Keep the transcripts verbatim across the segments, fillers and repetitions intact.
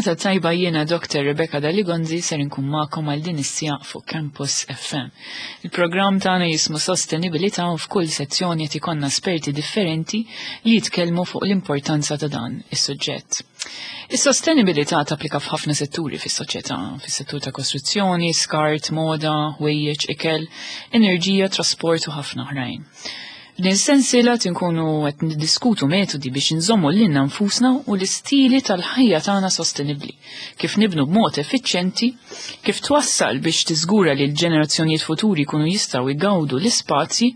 Il-ġurnata tajba. Jiena Doktor Rebecca Daligonzi, ser inkun magħkom għal din is-siegħa fuq Campus F M. Il-programm tagħna jismu Sostenibilità u f'kull sezzjoni qed ikollna esperti differenti li jitkellmu fuq l-importanza ta' dan is-suġġett. Is-sostenibilità tapplika f'ħafna setturi fis-soċjetà, fis-settur ta' kostruzzjoni, skart, moda, ħwejjeġ, ikel, enerġija, trasport u ħafna oħrajn. Din sensiela tinkunu qed niddiskutu metodi biex nżommu lilna nfusna u l-istili tal-ħajja tagħna sostenibbli, kif nibnu b'mod effiċjenti, kif twassal biex tiżgura li l-ġenerazzjonijiet futuri jkunu jistgħu jgawdu l-ispazji,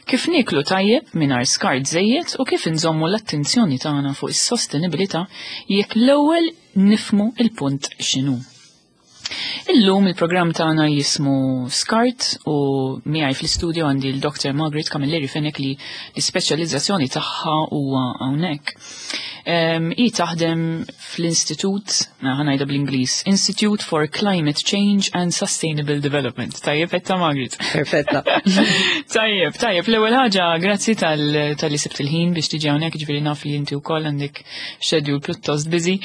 kif nieklu tajjeb mingħajr skart żejjed u kif nżommu l-attenzjoni tagħna fuq is-sostenibilità jekk l-ewwel nifhmu il-punt x'inhu. Illum il-programm tagħna jismu Skart u miegħi fl-istudio għandi l-Doktor Margaret Camilleri Fenech li l-ispeċjalizzazzjoni tagħha huwa hawnhekk. Hi taħdem fl-Istitut, ħa ngħidha bl-Ingliż, Institute for Climate Change and Sustainable Development. Tajjeb etta, Margaret? Perfetta. Tajjeb, tajjeb. L-ewwel ħaġa, grazzi tal-li sibt il-ħin biex tiġi hawnhekk, ġifieri naf li inti wkoll għandek schedule pjuttost busy.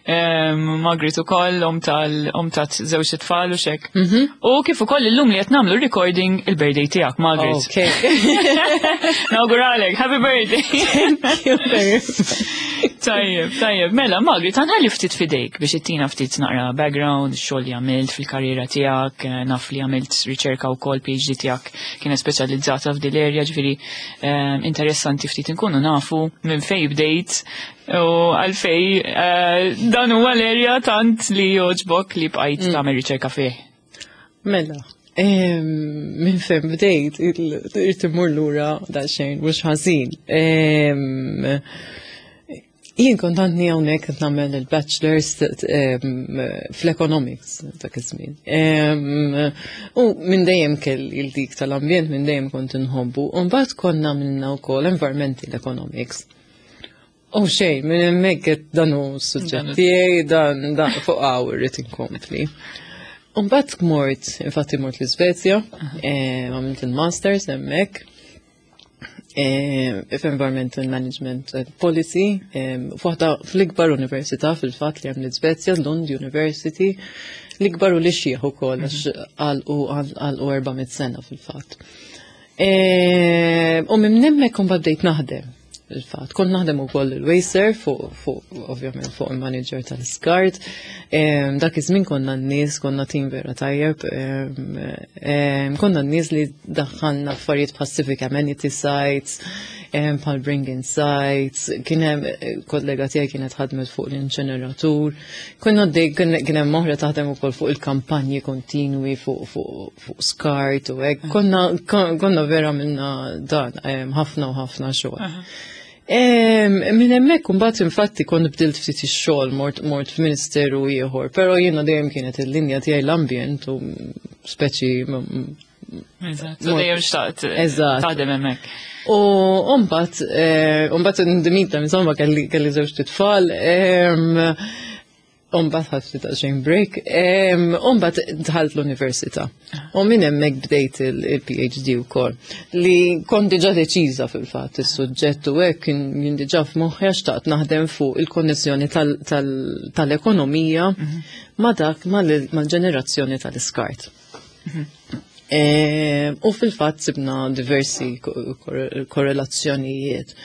Margaret ukoll omm tal omm ta' żewġ tfal u xek. Mhm. U kif ukoll illum li qed nagħmlu recording il-birthday tiegħek, Margaret. Okay. Nawguralek, happy birthday. Thank you very much. Tajjeb, tajjeb. Mela, Margaret, ħa nħalli ftit fidejk biex ittina ftit naqra background, xogħol li għamilt fil-karriera tiegħek, eh, naf li għamilt riċerka wkoll, P H D tiegħek kienet speċjalizzata f'dil area, ġifieri eh, interessanti ftit inkunu nafu minn fej bdejt u għalfej eh, dan huwa l-area tant li joġbok li bqajt mm. tagħmel riċerka fih. Mela, minn fejn bdejt, irrid immur lura daqsxejn, mhux ħażin. Jien kont għadni hawnhekk qed nagħmel il-bachelor's fl-economics dak iż-żmien. U minn dejjem kelli il-dik tal-ambjent, minn dejjem kont inħobbu. U mbagħad konna għamilna wkoll environmental economics. U xejn, minn hemmhekk dan hu s-suġġett tiegħi, dan dan fuq hawn irrid inkompli. U mbagħad mort, infatti mort l-Iżvezja, għamilt il-masters hemmhekk f'Environmental Management Policy, f'waħda fl-ikbar università fil-fatt li hemm l-Iżvezja, Lund University, l-ikbar u l-ixjeħ ukoll għax għalqu għalqu erba' mitt sena fil-fatt. U minn hemmhekk imbagħad bdejt naħdem il-fatt. Kont naħdem ukoll il-Wasteserv fuq fuq ovvjament fuq il-manager tal-skart. Dak iż-żmien konna n-nies, konna tim vera tajjeb. Konna n-nies li daħħalna affarijiet bħal civic amenity sites, bħal bring-in sites, kien hemm kollega tiegħi kienet ħadmet fuq l-inċeneratur. Konna kien hemm oħra taħdem ukoll fuq il-kampanji kontinwi fuq fuq skart u hekk. Konna konna vera minna dan ħafna u ħafna xogħol. Minn hemmhekk imbagħad infatti kont bdilt ftit ix-xogħol, mort mort f'ministeru ieħor, però jiena dejjem kienet il-linja tiegħi l-ambjent u speċi Eżatt, dejjem xtaqt Eżatt. taħdem hemmhekk. U mbagħad mbagħad ndimita, insomma, kelli kelli żewġ tfal. Umbagħad ħadt ftit xejn break, umbagħad dħalt l-università. U minn hemmhekk bdejt il-P H D wkoll. Li kont diġà deċiża fil-fatt is-suġġett u hekk kien jien diġà f'moħħi għax xtaqt naħdem fuq il-konnessjoni tal-ekonomija ma' dak mal-ġenerazzjoni tal-iskart. U fil-fatt sibna diversi korrelazzjonijiet.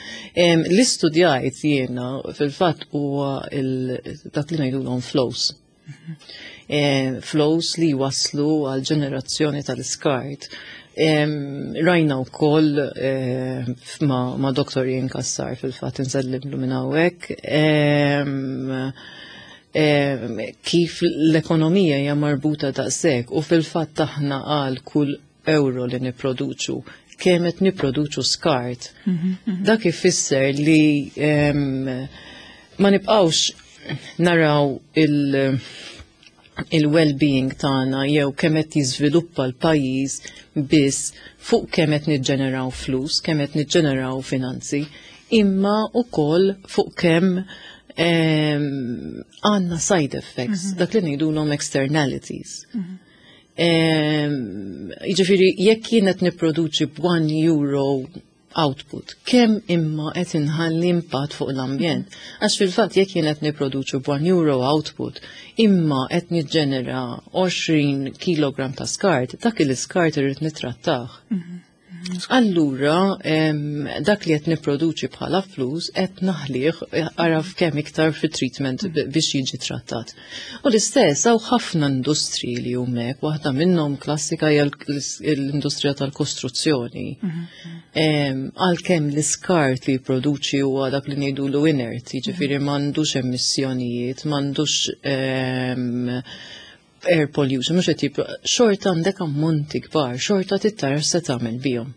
Li studjajt jiena fil-fatt huwa dak li ngħidulhom flows. Flows li waslu għal ġenerazzjoni tal-iskart. Rajna wkoll ma, ma Doktor Ian Cassar, fil-fatt insellimlu minn hawnhekk, kif l-ekonomija hija marbuta daqshekk u fil-fatt aħna għal kull euro li niproduċu kemm qed niproduċu skart. Dak ifisser li ma nibqgħux naraw il- il-well-being tagħna jew kemm qed jiżviluppa l-pajjiż biss fuq kemm qed niġġeneraw flus, kemm qed niġġeneraw finanzi, imma wkoll fuq kemm għandna side effects, mhm. dak li ngħidulhom externalities. Mhm. Jiġifieri jekk jien qed nipproduċi b'one euro output, kemm imma qed inħalli impatt fuq l-ambjent. Għax fil-fatt jekk jien qed nipproduċu b'one euro output, imma qed niġġenera għoxrin kilogram ta' skart, dak il-iskart irrid nittrattah. Allura, dak li qed nipproduċi bħala flus qed naħlih araf kemm iktar fit-treatment biex jiġi trattat. U l-istess hawn ħafna industriji li hemmhekk, waħda minnhom klassika hija l-industrija tal-kostruzzjoni. Għalkemm l-iskart li jipproduċi huwa dak li ngħidulu inert, jiġifieri m'għandux emissjonijiet, m'għandux air pollution, mhux qed xorta għandek ammonti kbar, xorta trid tara se tagħmel bihom.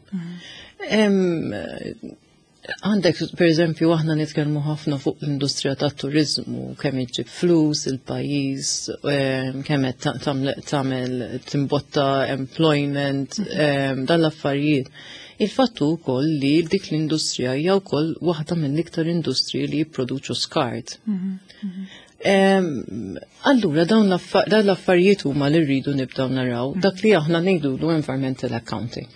Għandek, per eżempju, aħna nitkellmu ħafna fuq l-industrija tat-turizmu, kemm iġib flus il-pajjiż, kemm qed tagħmel timbotta employment, dan l-affarijiet. Il-fattu wkoll li dik l-industrija hija wkoll waħda mill-iktar industriji li jipproduċu skart. Allura, dawn l-affarijiet huma li rridu nibdew naraw dak li aħna ngħidulu environmental accounting.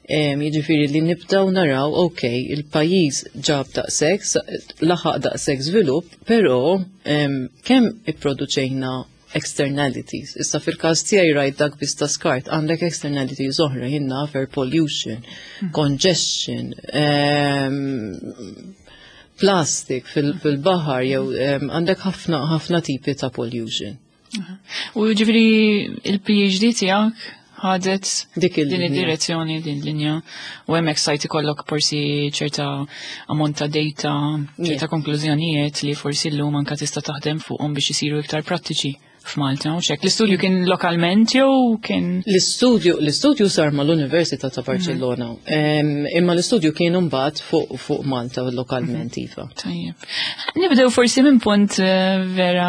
Jiġifieri li nibdew naraw, ok, il-pajjiż ġab daqshekk, laħaq daqshekk żvilupp, però kemm ipproduċejna externalities. Issa fil-każ tiegħi rajt dak biss ta' skart, għandek externalities oħra, jien naf air pollution, congestion, plastic fil-baħar, jew għandek ħafna ħafna tipi ta' pollution. U ġifieri il-P H D tiegħek ħadet dik din id-direzzjoni, din linja, u hemmhekk stajt ikollok forsi ċerta ammont ta' data, ċerta konklużjonijiet li forsi llum anka tista' taħdem fuqhom biex isiru iktar prattiċi f'Malta, u hekk. L-istudju kien lokalment jew kien L-istudju l-istudju sar mal-Università ta' Barcellona. Imma l-istudju kien mbagħad fuq fuq Malta lokalment, iva. Tajjeb. Nibdew forsi minn punt eh, vera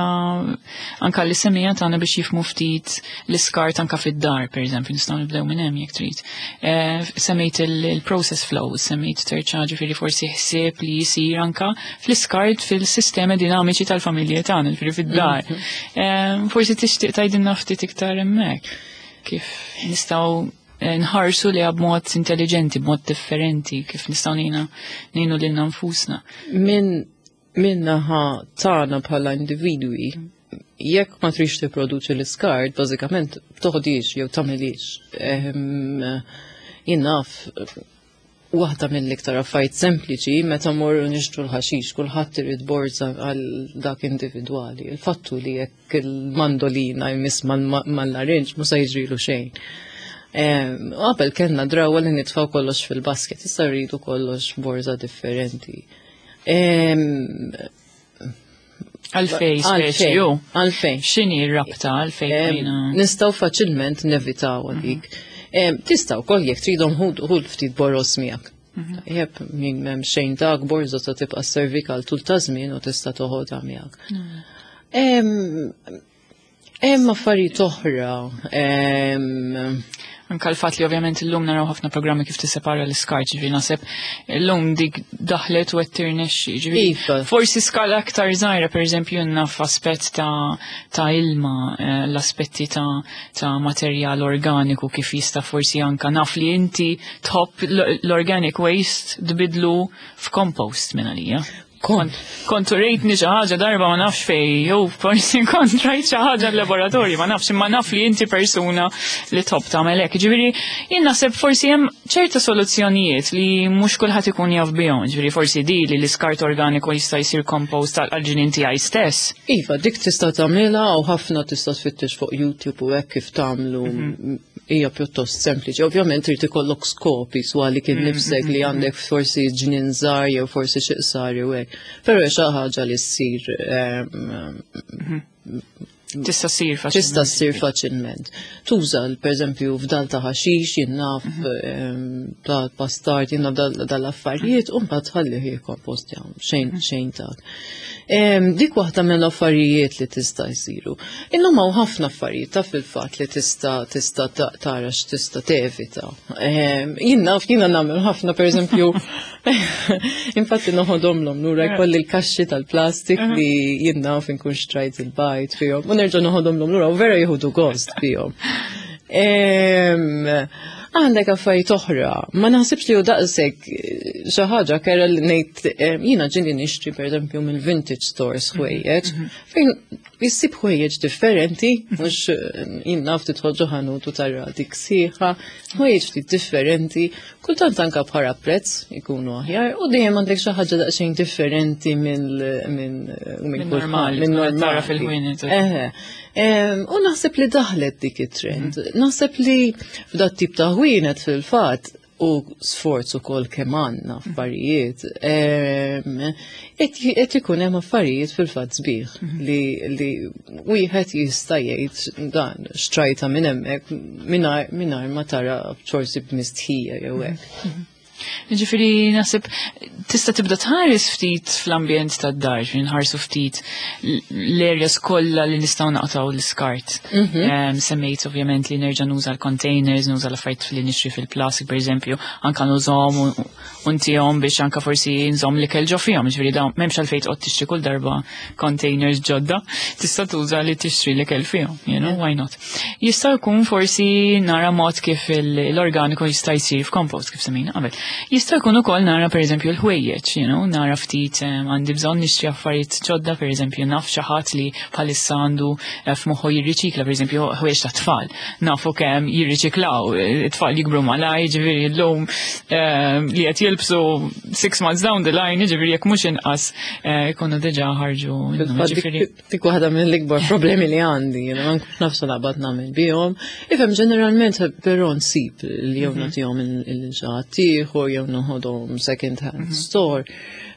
anka l-semmiegħa tagħna biex jifhmu ftit l-iskart anka fid-dar, per eżempju, nistgħu nibdew minn hemm jekk trid. Eh, semmejt il-process flow, semmejt terċa, ġifieri forsi ħsieb li jisir anka fl-iskart fil-sistemi dinamiċi tal-familji tagħna, ġifieri fid-dar. Mhm. Forsi tixtieq tgħidilna ftit iktar hemmhekk. Kif nistgħu eh, nħarsu li b'mod intelligenti, b'mod differenti, kif nistgħu ngħinu ngħinu lilna nfusna. Min min-naħa tagħna bħala individwi, jekk ma trix tipproduċi l-iskart, bażikament toħdix jew tagħmilix. Jien naf, waħda mill-iktar affarijiet sempliċi, meta morru nixtru l-ħaxix, kulħadd irid borza għal dak individwali. Il-fattu li jekk il-mandolina jmiss mal-larinġ mhux se jiġrilu xejn. Qabel kellna drawa li nitfaw kollox fil-basket, issa rridu kollox borza differenti. Għalfejn, speċi, ju. Għalfejn. X'inhi r-rabta għalfejn? Nistgħu faċilment nevitaw għalik. Tistgħu wkoll jekk tridhom ħu ftit boroż miegħek. Jeb, min m'hemm xejn dak borża ta' tibqa' servik għal tul ta' żmien u tista' toħodha miegħek. Hemm affarijiet oħra. Anka l-fatt li ovvjament illum naraw ħafna programmi kif tissepara l-iskart, ġifieri naħseb illum dik daħlet u qed tirnexxi, ġifieri Iva. forsi skala aktar żgħira, pereżempju naf aspett ta' ta' ilma, eh, l-aspetti ta' ta' materjal organiku kif jista' forsi anka naf li inti tħobb l-organic waste tbidlu f'compost minn għalija. Kont. Kont rejtni xi ħaġa darba, ma nafx fej, jew forsi kont rajt xi ħaġa l-laboratorju, ma nafx, imma naf li inti persuna li tħobb tagħmel hekk. Ġifieri jien naħseb forsi hemm ċerta soluzzjonijiet li mhux kulħadd ikun jaf bihom, ġifieri forsi di li l-iskart organiku jista' jsir compost għal-ġnien tiegħi stess. Iva, dik tista' tagħmilha u ħafna tista' tfittex fuq YouTube u hekk kif tagħmlu, mhm. hija pjuttost sempliċi. Ovvjament trid ikollok skopi swali kien mhm, nifsek li mhm, għandek forsi ġnien żgħar jew forsi xi qsar jew hekk. Però xi ħaġa li ssir Tista' ssir faċilment. Tista' ssir faċilment. Tuża, pereżempju, fdal ta' ħaxix, jien naf, ta' pastart, jien naf dal-affarijiet, u mbagħad tħallih jikkompostja, xejn xejn ta'. Dik waħda mill-affarijiet li tista' jsiru. Illum hawn ħafna affarijiet ta' fil-fatt li tista' tista' tara x'tista' tevita. Jien naf, jiena nagħmel ħafna, pereżempju, infatti noħodhomlhom lura, jkolli l-kaxxi tal-plastik li jien naf inkun xtrajt il-bajd fihom u nerġa' noħodhomlhom lura u vera jieħdu gost fihom. Għandek affarijiet oħra, ma naħsibx li hu daqshekk eh, xi ħaġa kerha li ngħid eh, jiena ġieli nixtri, pereżempju, mill vintage stores ħwejjeġ fejn issib ħwejjeġ differenti, mhux eh, jien naf tidħol ġo ħanut u tara dik sieħa, ħwejjeġ ftit differenti, kultant anka bħala prezz ikunu aħjar u dejjem għandek xi ħaġa daqsxejn differenti minn minn minn normali, minn tara normali. Fil-ħwienet. Eħe. Em, U naħseb li daħlet dik it-trend. Naħseb li f'dat tip ta' ħwienet fil-fatt u sforz ukoll kemm għandna affarijiet, em, qed qed ikun hemm affarijiet fil-fatt sbieħ li li wieħed jista' jgħid dan xtrajta minn hemmhekk mingħajr mingħajr ma tara forsi b'mistħija jew hekk. Ġifieri, naħseb, tista' tibda tħares ftit fl-ambjent tad-dar, ġifieri nħarsu ftit l-areas kollha li nistgħu naqtaw l-iskart. Em, Semmejt ovvjament li nerġa' nuża l-containers, nuża l-affarijiet li nixtri fil-plastik, per eżempju, anka nużahom u- u ntihom biex anka forsi nżomm l-ikel ġo fihom, ġifieri dawn m'hemmx għalfejn toqgħod tixtri kull darba containers ġodda, tista' tuża li tixtri l-ikel fihom, you know, why not? Jista' jkun forsi nara mod kif il- l-organiku jista' jsir f'compost, kif semmejna qabel. Jista' jkun ukoll nara, pereżempju, l-ħwejjeġ, you know, nara ftit em, għandi bżonn nixtri affarijiet ġodda, pereżempju naf xi ħadd li bħalissa għandu eh, f'moħħu jirriċikla, pereżempju, ħwejjeġ ta' tfal. Nafu kemm jirriċiklaw, eh, it-tfal jikbru malaj, ġifieri llum em, li qed jilbsu six months down the line, ġifieri jekk mhux inqas eh, ikunu diġà ħarġu minnhom, Fil-fatt ġifieri. dik dik waħda mill-ikbar problemi li għandi, jiena ma nkunx naf naqbad nagħmel bihom. Ifhem, ġeneralment però nsib li jew nagħtihom lil xi ħadd ieħor jew noħodhom second hand store.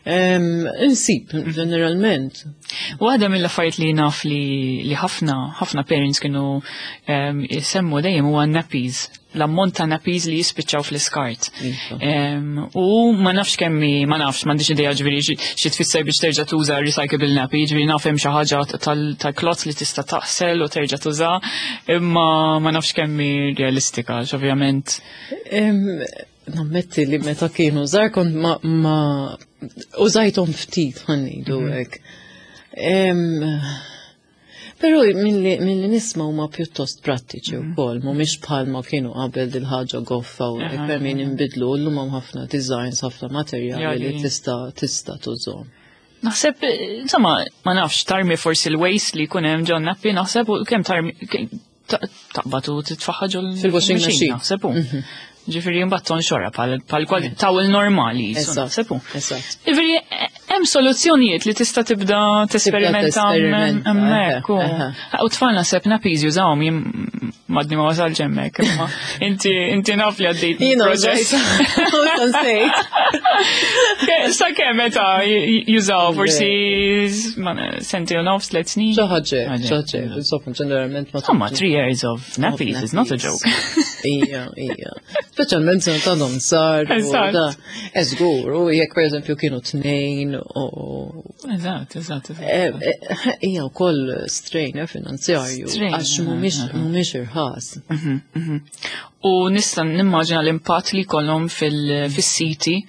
Em, Insib ġeneralment. Waħda mill-affarijiet li naf li, li ħafna ħafna parents kienu um, jisemmu dejjem huwa nappies. L-ammont ta' nappies li jispiċċaw fl-iskart. Iva. Um, u ma nafx kemmi, ma nafx, m'għandix idea ġifieri xi xi tfisser biex terġa' tuża recyclable nappy, ġifieri naf hemm xi ħaġa tal- tal-cloth li tista' taħsel u terġa' tuża, imma ma nafx kemmi realistika, għax ovvjament. Em, Nammetti li meta kienu żgħar kont ma, ma użajthom ftit, ħa ngħidu hekk. Em, Però milli milli nisma' huma pjuttost prattiċi wkoll, mhumiex bħalma kienu qabel dil-ħaġa goffa u hekk per min inbidlu, llum hemm ħafna designs, ħafna materjali li Jali. tista' tista' tużhom. Naħseb, eh, insomma, ma nafx, tarmi forsi l-waste li jkun hemm ġo nappy, naħseb, u kemm tarmi, ke- ta- taqbad u titfaħħa ġol Fil-washing machine. Naħseb u. Ġifieri mbagħad tonxorha bħal bħal kwal towel normali, jisu, Eżatt. naħseb u. Eżatt. Ġifieri, eh, hemm soluzzjonijiet li tista' tibda tesperimenta tesperimenta, hemmhekk. u- eħe, U tfal naħseb nappies jużawhom, jien m'għadni ma wasalx hemmhekk, imma inti inti naf li għaddejt Jiena proċess. użajt, nsejt. Sa kemm meta jużaw forsi ma- sentejn u nofs, tliet snin. Xi ħaġa, Ħaġa. xi ħaġa, insomma, ġeneralment ma Insomma, three years of nappies is not a joke. Ija, ija. Speċjalment se tagħhom sar. U Eżatt. da. Eżgur, u jekk pereżempju kienu tnejn u Eżatt, eżatt, eżatt. Eh, eh, Hija wkoll strain eh, finanzjarju Strain, għax mhumiex mhumiex irħas. Mhm, mhm. U nista' nimmaġina l-impatt li jkollhom fil-siti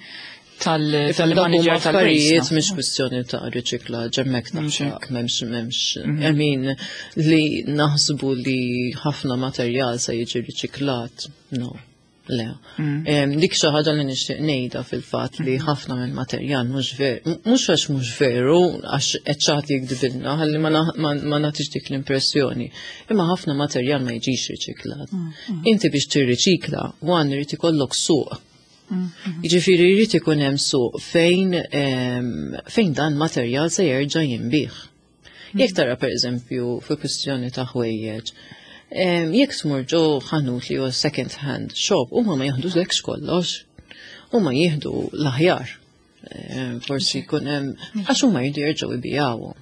tal-manager Affarijiet tal-waste. mhix kwistjoni ta' riċiklaġġ hemmhekk Mhux taħseb m'hemmx m'hemmx I mean, li naħsbu li ħafna materjal se jiġi riċiklat. No. Le. Em, Dik xi ħaġa li nixtieq ngħidha fil-fatt li ħafna minn materjal mhux veru, mhux għax mhux veru, għax qed xi ħadd jikdibilna, ħalli ma na- ma ma nagħtix dik l-impressjoni. Imma ħafna materjal ma jiġix riċiklat. Inti biex tirriċikla, one, irid ikollok suq. Jiġifieri jrid ikun hemm suq fejn em, fejn dan materjal se jerġa' jinbih. Jekk tara, pereżempju, fi kwistjoni ta' ħwejjeġ, em, jekk tmur ġo ħanut li huwa second hand shop, huma ma jaħdulekx kollox. Huma jieħdu l-aħjar. Em, Forsi jkun hemm għax huma jridu jerġgħu jbijawhom.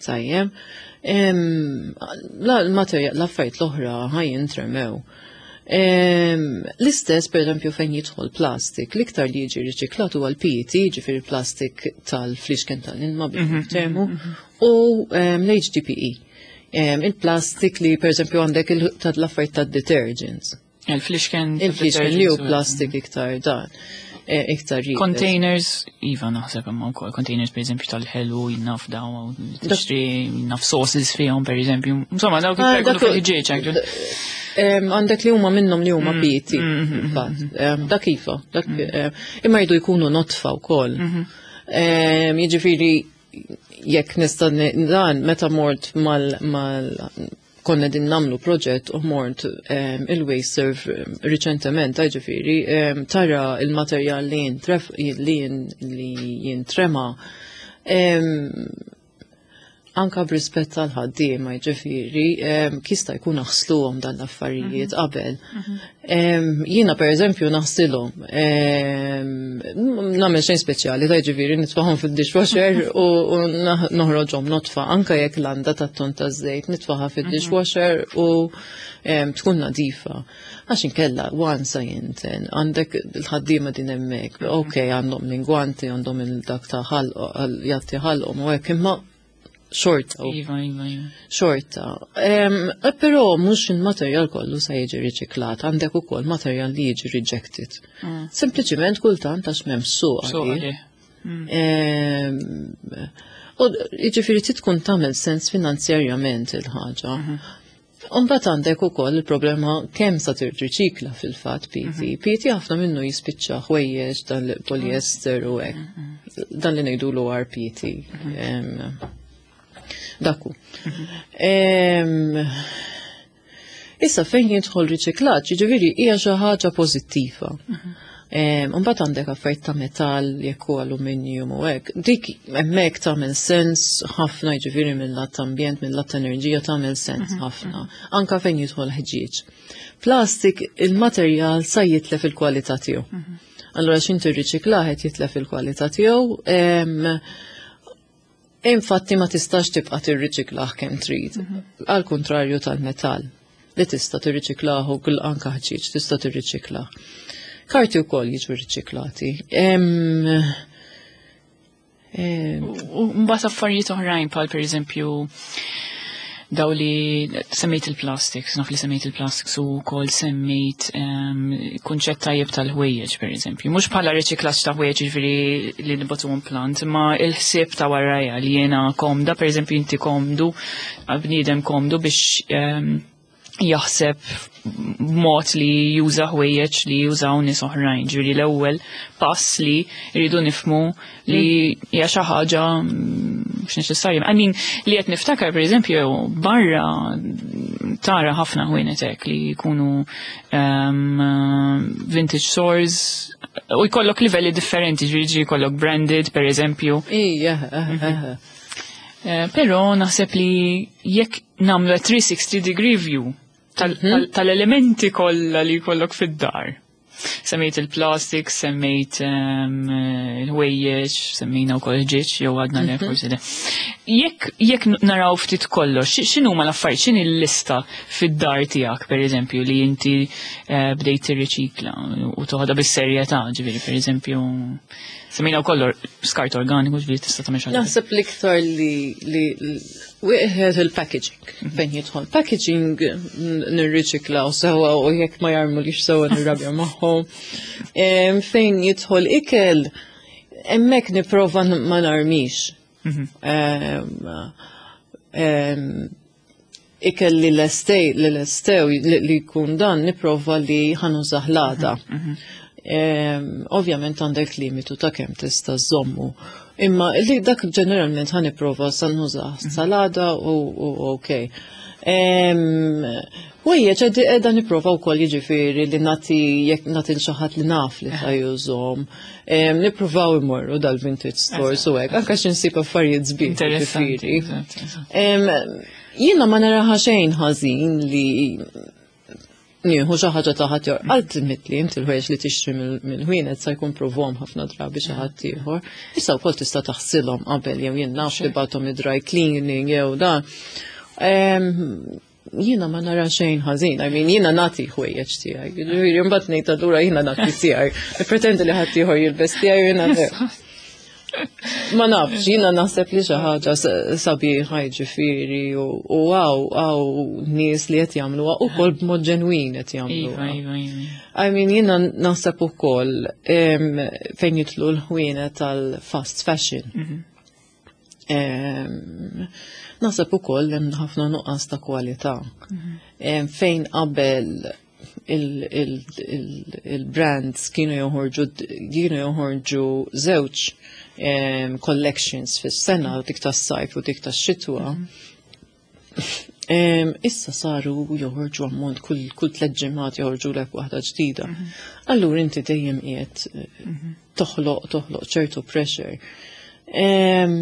Tajjeb. Em, La l-materjal, l-affarijiet l-oħra ħa jintremew. Em, L-istess, per eżempju, fejn jidħol plastik, l-iktar li jiġi riċiklat huwa l-P E T, ġifieri plastik tal-flixken tal-ilma bil-termu, u em, l-H D P E. Em, Il-plastik li, per eżempju, għandek il- tal-affarijiet tad-detergents. Il-flixken. Il-flixken li hu plastik iktar dan, eh, iktar iebes. Containers, iva, naħseb imma wkoll containers, per eżempju, tal-ħelu, jien naf daw, tixtri, jien naf sauces fihom, per eżempju. Insomma, dawk Ah, iktar dak- fil-ħġieġ, actually. Għandek li huma minnhom li huma P E T. Fil-fatt. Dak iva, dak, imma jridu jkunu nodfa wkoll. Jiġifieri jekk nista' dan meta mort mal mal konna din nagħmlu proġett u mort il-WasteServ riċentement, ġifieri, tara il-materjal li jintref li li jintrema anka b'rispett tal-ħaddiema, ġifieri, jista' jkun aħsluhom dan l-affarijiet qabel. Jiena per eżempju naħsilhom. Nagħmel xejn speċjali, ta' ġifieri nitfagħhom fid-dishwasher u noħroġhom nodfa, anka jekk landa tat-ton taż-żejt nitfaħha fid-dishwasher u tkun nadifa. Għax inkella, once jinten, għandek il-ħaddiema din hemmhekk, ok, għandhom l-ingwanti, għandhom il-dak ta' ħalq, jgħatti ħalqhom u hekk, imma xorta. Iva, iva, iva. Xorta. Però mhux il-materjal kollu sa jiġi riċiklat, għandek ukoll materjal li jiġi rejected. Mm. Sempliċiment kultant għax m'hemm suq għalih. Mm. U jiġifieri tkun tagħmel sens finanzjarjament il-ħaġa. Mhm. Umbagħad għandek ukoll il-problema kemm sa tirriċikla fil-fatt P E T. Mhm. P E T ħafna minnu jispiċċa ħwejjeġ dan polyester u hekk. Mhm. Dan li ngħidulu R P T. Daku. Issa fejn jidħol riċiklaġġ, jiġifieri hija xi ħaġa pożittiva. Mbagħad għandek affarijiet ta' metall, jekk hu aluminium u hekk. Dik hemmhekk tagħmel sens ħafna, jiġifieri mill-lat ambjent, mill-lat enerġija tagħmel sens ħafna. Anka fejn jidħol ħġieġ. Plastik, il-materjal sa jitlef il-kwalità tiegħu. Allura x'int tirriċiklah qed jitlef il-kwalità tiegħu. Infatti ma tistax tibqa' tirriċiklah kemm trid. Għal kontrarju tal-metall li tista' tirriċiklah u kull anka ħġieġ tista' tirriċiklah. Karti wkoll jiġu riċiklati. U mbagħad affarijiet oħrajn bħal pereżempju daw li semmejt il-plastics, naf li semmejt il-plastics u kol semmejt um, kunċett tajjeb tal-ħwejjeġ, per eżempju. Mhux bħala riċiklaġġ ta' ħwejjeġ, ġifieri li nibagħtu plant, imma il-ħsieb ta' warajja li jiena komda, per eżempju inti komdu, bniedem komdu biex um, jaħseb b'mod li juża ħwejjeġ li jużaw nies oħrajn. Ġifieri l-ewwel pass li rridu nifhmu li hija xi ħaġa mhux neċessarja. I mean, li qed niftakar, pereżempju, barra tara ħafna ħwienet hekk li jkunu um, vintage stores u jkollok livelli differenti, ġifieri jkollok branded, pereżempju. Ija, Eh, Però naħseb li jekk nagħmlu three sixty degree view tal-elementi kollha li jkollok fid-dar. Semmejt il-plastik, semmejt il-ħwejjeġ, semmejna wkoll ħġieġ, jew għadna le, forsi le. Jekk jekk naraw ftit kollox, x'inhu ma l-affarijiet, x'inhi l-lista fid-dar tiegħek, pereżempju, li inti eh, bdejt tirriċikla u toħodha bis-serjetà, ġifieri pereżempju semmejna wkoll skart organiku, ġifieri tista' tagħmel xi ħaġa. Naħseb l-iktar li li wieħed il-packaging. Fejn jidħol packaging nirriċiklaw sewa u jekk ma jarmu li sewa nirrabja magħhom. Em, Fejn jidħol ikel, hemmhekk nipprova ma narmix. Em, em, Ikel li lestej, li lestew, li li jkun dan, nipprova li ħa nużah l-għada. Em, Ovvjament għandek limitu ta' kemm tista' żommu. Imma li dak ġeneralment ħa nipprova sa nużah sal-għada u u ok. Ħwejjeġ qiegħda nipprova wkoll, jiġifieri li nagħti jekk nagħti lil xi ħadd li naf li ta' jużhom. Em, Nippruvaw imorru dal-vintage stores u hekk, anke xi nsib affarijiet sbieħ. Interessanti. Jiġifieri. Eżatt, eżatt. Em, Jiena ma naraha xejn ħażin li nieħu xi ħaġa ta' ħadd ieħor. Ultimately inti l-ħwejjeġ li tixtri mill- mill-ħwienet sa jkun provhom ħafna drabi xi ħadd ieħor. Issa wkoll tista' taħsilhom qabel jew jien naf tibgħathom id-dry cleaning jew dan. Em, Jiena ma nara xejn ħażin, I mean, jiena nagħti ħwejjeġ tiegħi. Ġifieri mbagħad ngħid allura jiena nagħti tiegħi. Pretendi li ħadd ieħor jilbes tiegħi jiena le. Ma nafx, jiena naħseb li xi ħaġa s- sabiħa, ġifieri u u għaw għaw nies li qed jagħmluha ukoll b'mod ġenwin qed Iva, jagħmluha. iva, iva. I mean, jiena naħseb ukoll em, fejn jidħlu l-ħwienet tal-fast fashion. Em, Naħseb ukoll hemm ħafna nuqqas ta' kwalità. Em, Fejn qabel il-brands kienu joħorġu kienu joħorġu żewġ em, collections fis-sena, dik tas-sajf u dik tax-xitwa. Em, Issa saru joħorġu ammont, kull kull tliet ġimgħat joħorġu lek waħda ġdida. Allura inti dejjem qiegħed eh, toħloq toħloq ċertu pressure. Em,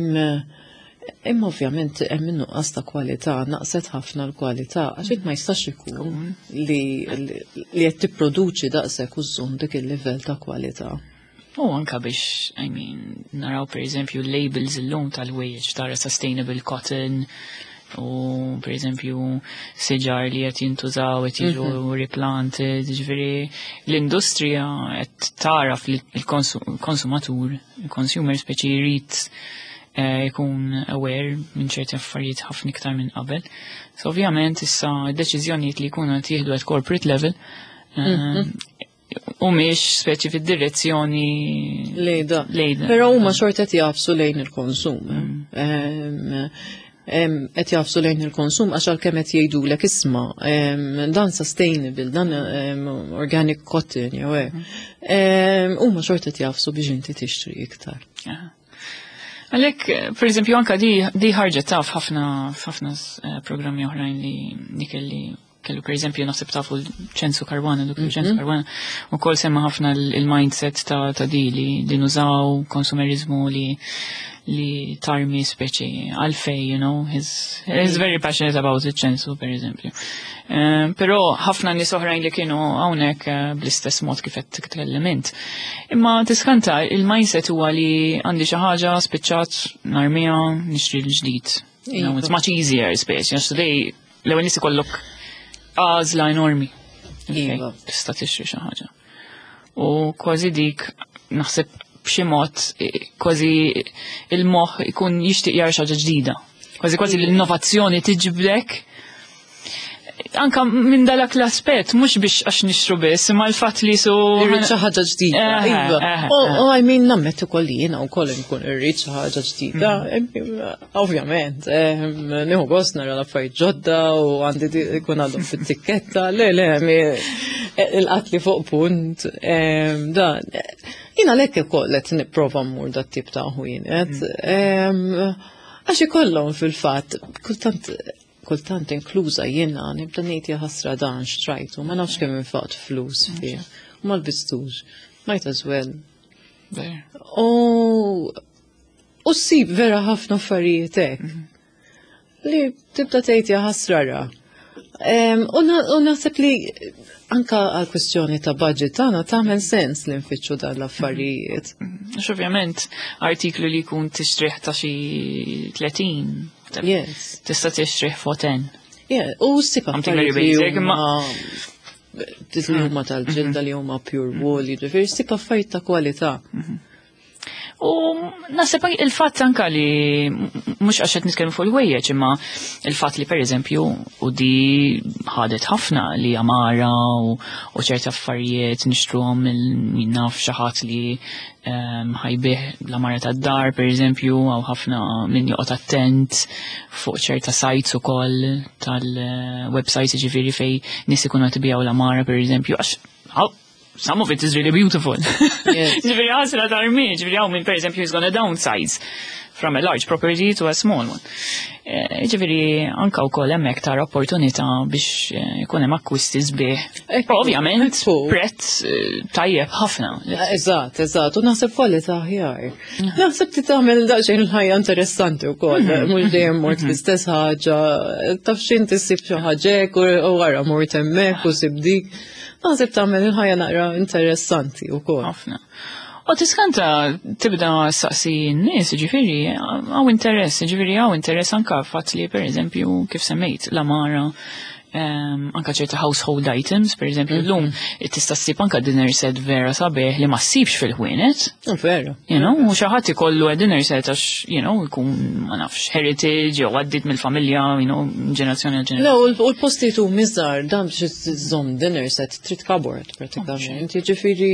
Imma ovvjament hemm in-nuqqas ta' kwalità, naqset ħafna l-kwalità, għax ma jistax ikun li li li qed tipproduċi daqshekk u żżomm dik il-livell ta' kwalità. U anka biex, I mean, naraw per eżempju labels illum tal-ħwejjeġ, tara sustainable cotton u per eżempju siġar li qed jintużaw, qed jiġu replanted, ġifieri l-industrija qed tara fil-konsumatur, il-consumer speċi jrid eh, jkun aware minn ċerti affarijiet ħafna iktar minn qabel. So ovvjament issa d-deċiżjonijiet li jkunu qed jieħdu at corporate level eh, u mhix speċi fid-direzzjoni Lejda. Lejda. Però huma xorta qed jagħfsu lejn il-konsum. Em, em, Qed jagħfsu lejn il-konsum għax għalkemm qed jgħidulek, isma' em, dan sustainable, dan em, organic cotton jew hekk. Em, Huma xorta qed jagħfsu biex inti tixtri iktar. Aha. Għalek, per eżempju, anka di, di ħarġet taf ħafna ħafna eh, programmi oħrajn li li kelli kellu, per eżempju, naħseb tafu l-Ċensu Caruana, Doktor Ċensu Caruana, u kol semma ħafna l- il-mindset ta', ta' di li, li nużaw konsumerizmu li li tarmi speċi għalfej, you know, he's, he's very passionate about it, Ċensu, per eżempju. Eh, Però ħafna nies oħrajn li kienu hawnhekk eh, bl-istess mod kif qed titkellem int. Imma tiskanta, il-mindset huwa li għandi xi ħaġa, spiċċat, narmija, nixtri l-ġdid. You know, it's much easier speċi, għax today l-ewwel nies ikollok għażla enormi. Iva. Tista' tixtri xi ħaġa. U kważi dik naħseb b'xi mod eh, kważi il-moħħ ikun jixtieq jara xi ħaġa ġdida. Kważi kważi l-innovazzjoni tiġbdek anka minn dalak l-aspett, mhux biex għax nixtru biss, imma l-fatt li su. Irrid xi ħaġa ġdida. Eh, Iva. eh, U eh. u I mean, nammetti ukoll jiena wkoll nkun irrid xi ħaġa ġdida. Ovvjament, em, nieħu gost nara l-affarijiet ġodda u għandi di- ikun għadhom fit-tikketta. Le, le, mi- il-qatli fuq punt. em, Dan, jiena lek ukoll qed nipprova mmur dat tip ta' ħwienet. Em, Għax ikollhom fil-fatt, kultant kultant inkluża jiena nibda ngħid, "Jaħasra, dan xtrajtu, ma nafx kemm infaqt flus fih. U ma lbistux. Might as well." Ver. U u ssib vera ħafna affarijiet hekk. Li tibda tgħid, "Jaħasra ra." Em, U na- u naħseb li anka għal kwestjoni ta' budget tagħna tagħmel sens li nfittxu dan l-affarijiet. Għax ovvjament artiklu li jkun tixtrih ta' xi tletin, Yes. tista' tixtrih fuq ten. Yeah, u ssib Something very affarijiet li basic, imma- huma li huma tal-ġilda, li huma pure wool, jiġifieri ssib affarijiet ta' kwalità. U naħseb il-fatt anka li mhux għax qed nitkellmu fuq il-ħwejjeġ, imma il-fatt li pereżempju u di ħadet ħafna li għamara u, u ċerti affarijiet nixtruhom min naf xi ħadd li um, ħa jbigħ l-għamara tad-dar pereżempju, għaw ħafna min joqgħod attent fuq ċerta sites ukoll tal-websites, ġifieri fej nies ikunu qed ibigħu l-għamara pereżempju, għax għaw, some of it is really beautiful. Yes. Ġifieri ħasra tarmi, ġifieri hawn min per eżempju is gonna downsize from a large property to a small one. Eh, Ġifieri anka wkoll hemmhekk tara opportunità biex eh, ikun hemm akkwisti sbieħ. Ekku, Ovvjament, ekku. prezz eh, tajjeb ħafna. Eżatt, eżatt, u naħseb kwalità aħjar. Naħseb ti tagħmel daqsxejn il-ħajja interessanti wkoll, mhux dejjem mort l-istess ħaġa, taf x'inti, ssib xi ħaġa hekk u u wara mort hemmhekk u sib dik. Naħseb tagħmel il-ħajja naqra interessanti wkoll. Ħafna. U tiskanta tibda saqsi n-nies, ġifieri, hawn interess, ġifieri hawn interess anka fatt li per eżempju kif semmejt, l-għamara, um, anka ċerta household items, per eżempju, llum tista' ssib anka dinner set vera sabiħ li ma ssibx fil-ħwienet. Oh, Vera. You know, u xi ħadd ikollu dinner set għax, you know, ikun, ma nafx, heritage, jew għaddit mill-familja, you know, ġenerazzjoni għal Le, ġenerazzjoni. u l- u l-postijiet hu miżar, dan biex iżżomm dinner set trid cupboard pratikament. Jiġifieri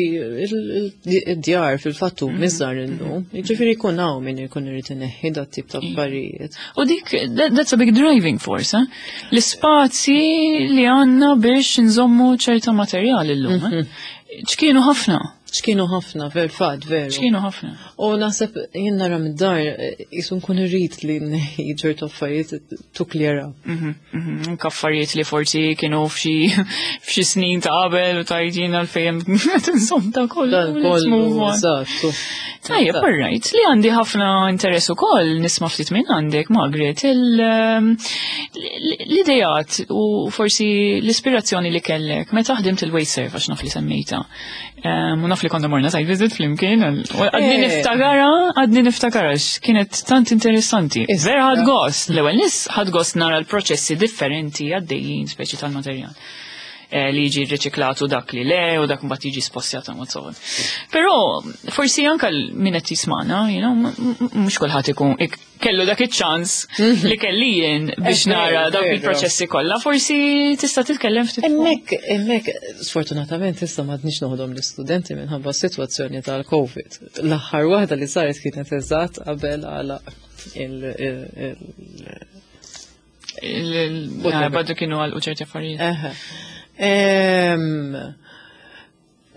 id-djar fil-fatt hu miżar illum. Jiġifieri jkun hawn min ikun irid ineħħi dat tip ta' affarijiet. U dik, that, that's a big driving force, eh? L-spazji li għandna biex nżommu ċerta materjali llum, eh? ċkienu ħafna, Ċkienu ħafna, fil-fatt, veru. ċkienu ħafna. U naħseb jien nara mid-dar jisu nkun irrid li nneħħi ċertu affarijiet to clear up. Mhm, mhm, Anka affarijiet li forsi kienu f'xi f'xi snin ta' qabel u tajt jien għalfejn nżomm ta' kollu. Dan let's kollu, move on. eżatt. Tajjeb, all right. Li għandi ħafna interess ukoll nisma' ftit minn għandek, Margaret, il- ehm, l-idejat u forsi l-ispirazzjoni li kellek meta ħdimt il-WasteServ għax naf li semmejta. Ehm, U naf li konna morna site visit flimkien, u għadni Eh. niftakara, għadni niftakara, kienet tant interessanti. Issa. Vera ħadt gost, l-ewwel nis ħadt gost nara l-proċessi differenti għaddejjin speċi tal-materjal. Eh, li jiġi riċiklatu dak li le u dak mbagħad jiġi spostjat and so on. Però forsi anka l- min qed jismana, you know, m- m- mhux kulħadd ikun ik- kellu dak iċ-ċans li kelli jien biex Eh, nara veru, dawk veru. il-proċessi kollha, forsi tista' titkellem ftit. fuq. Hemmhekk, hemmhekk, sfortunatament issa m'għadniex noħodhom l-istudenti minħabba s-sitwazzjoni tal-Covid. L-aħħar waħda li saret kienet eżatt qabel għala il- il- il- Il- il- Whatever. ah, Badu kienu għal ċerti affarijiet. Eħe. Em,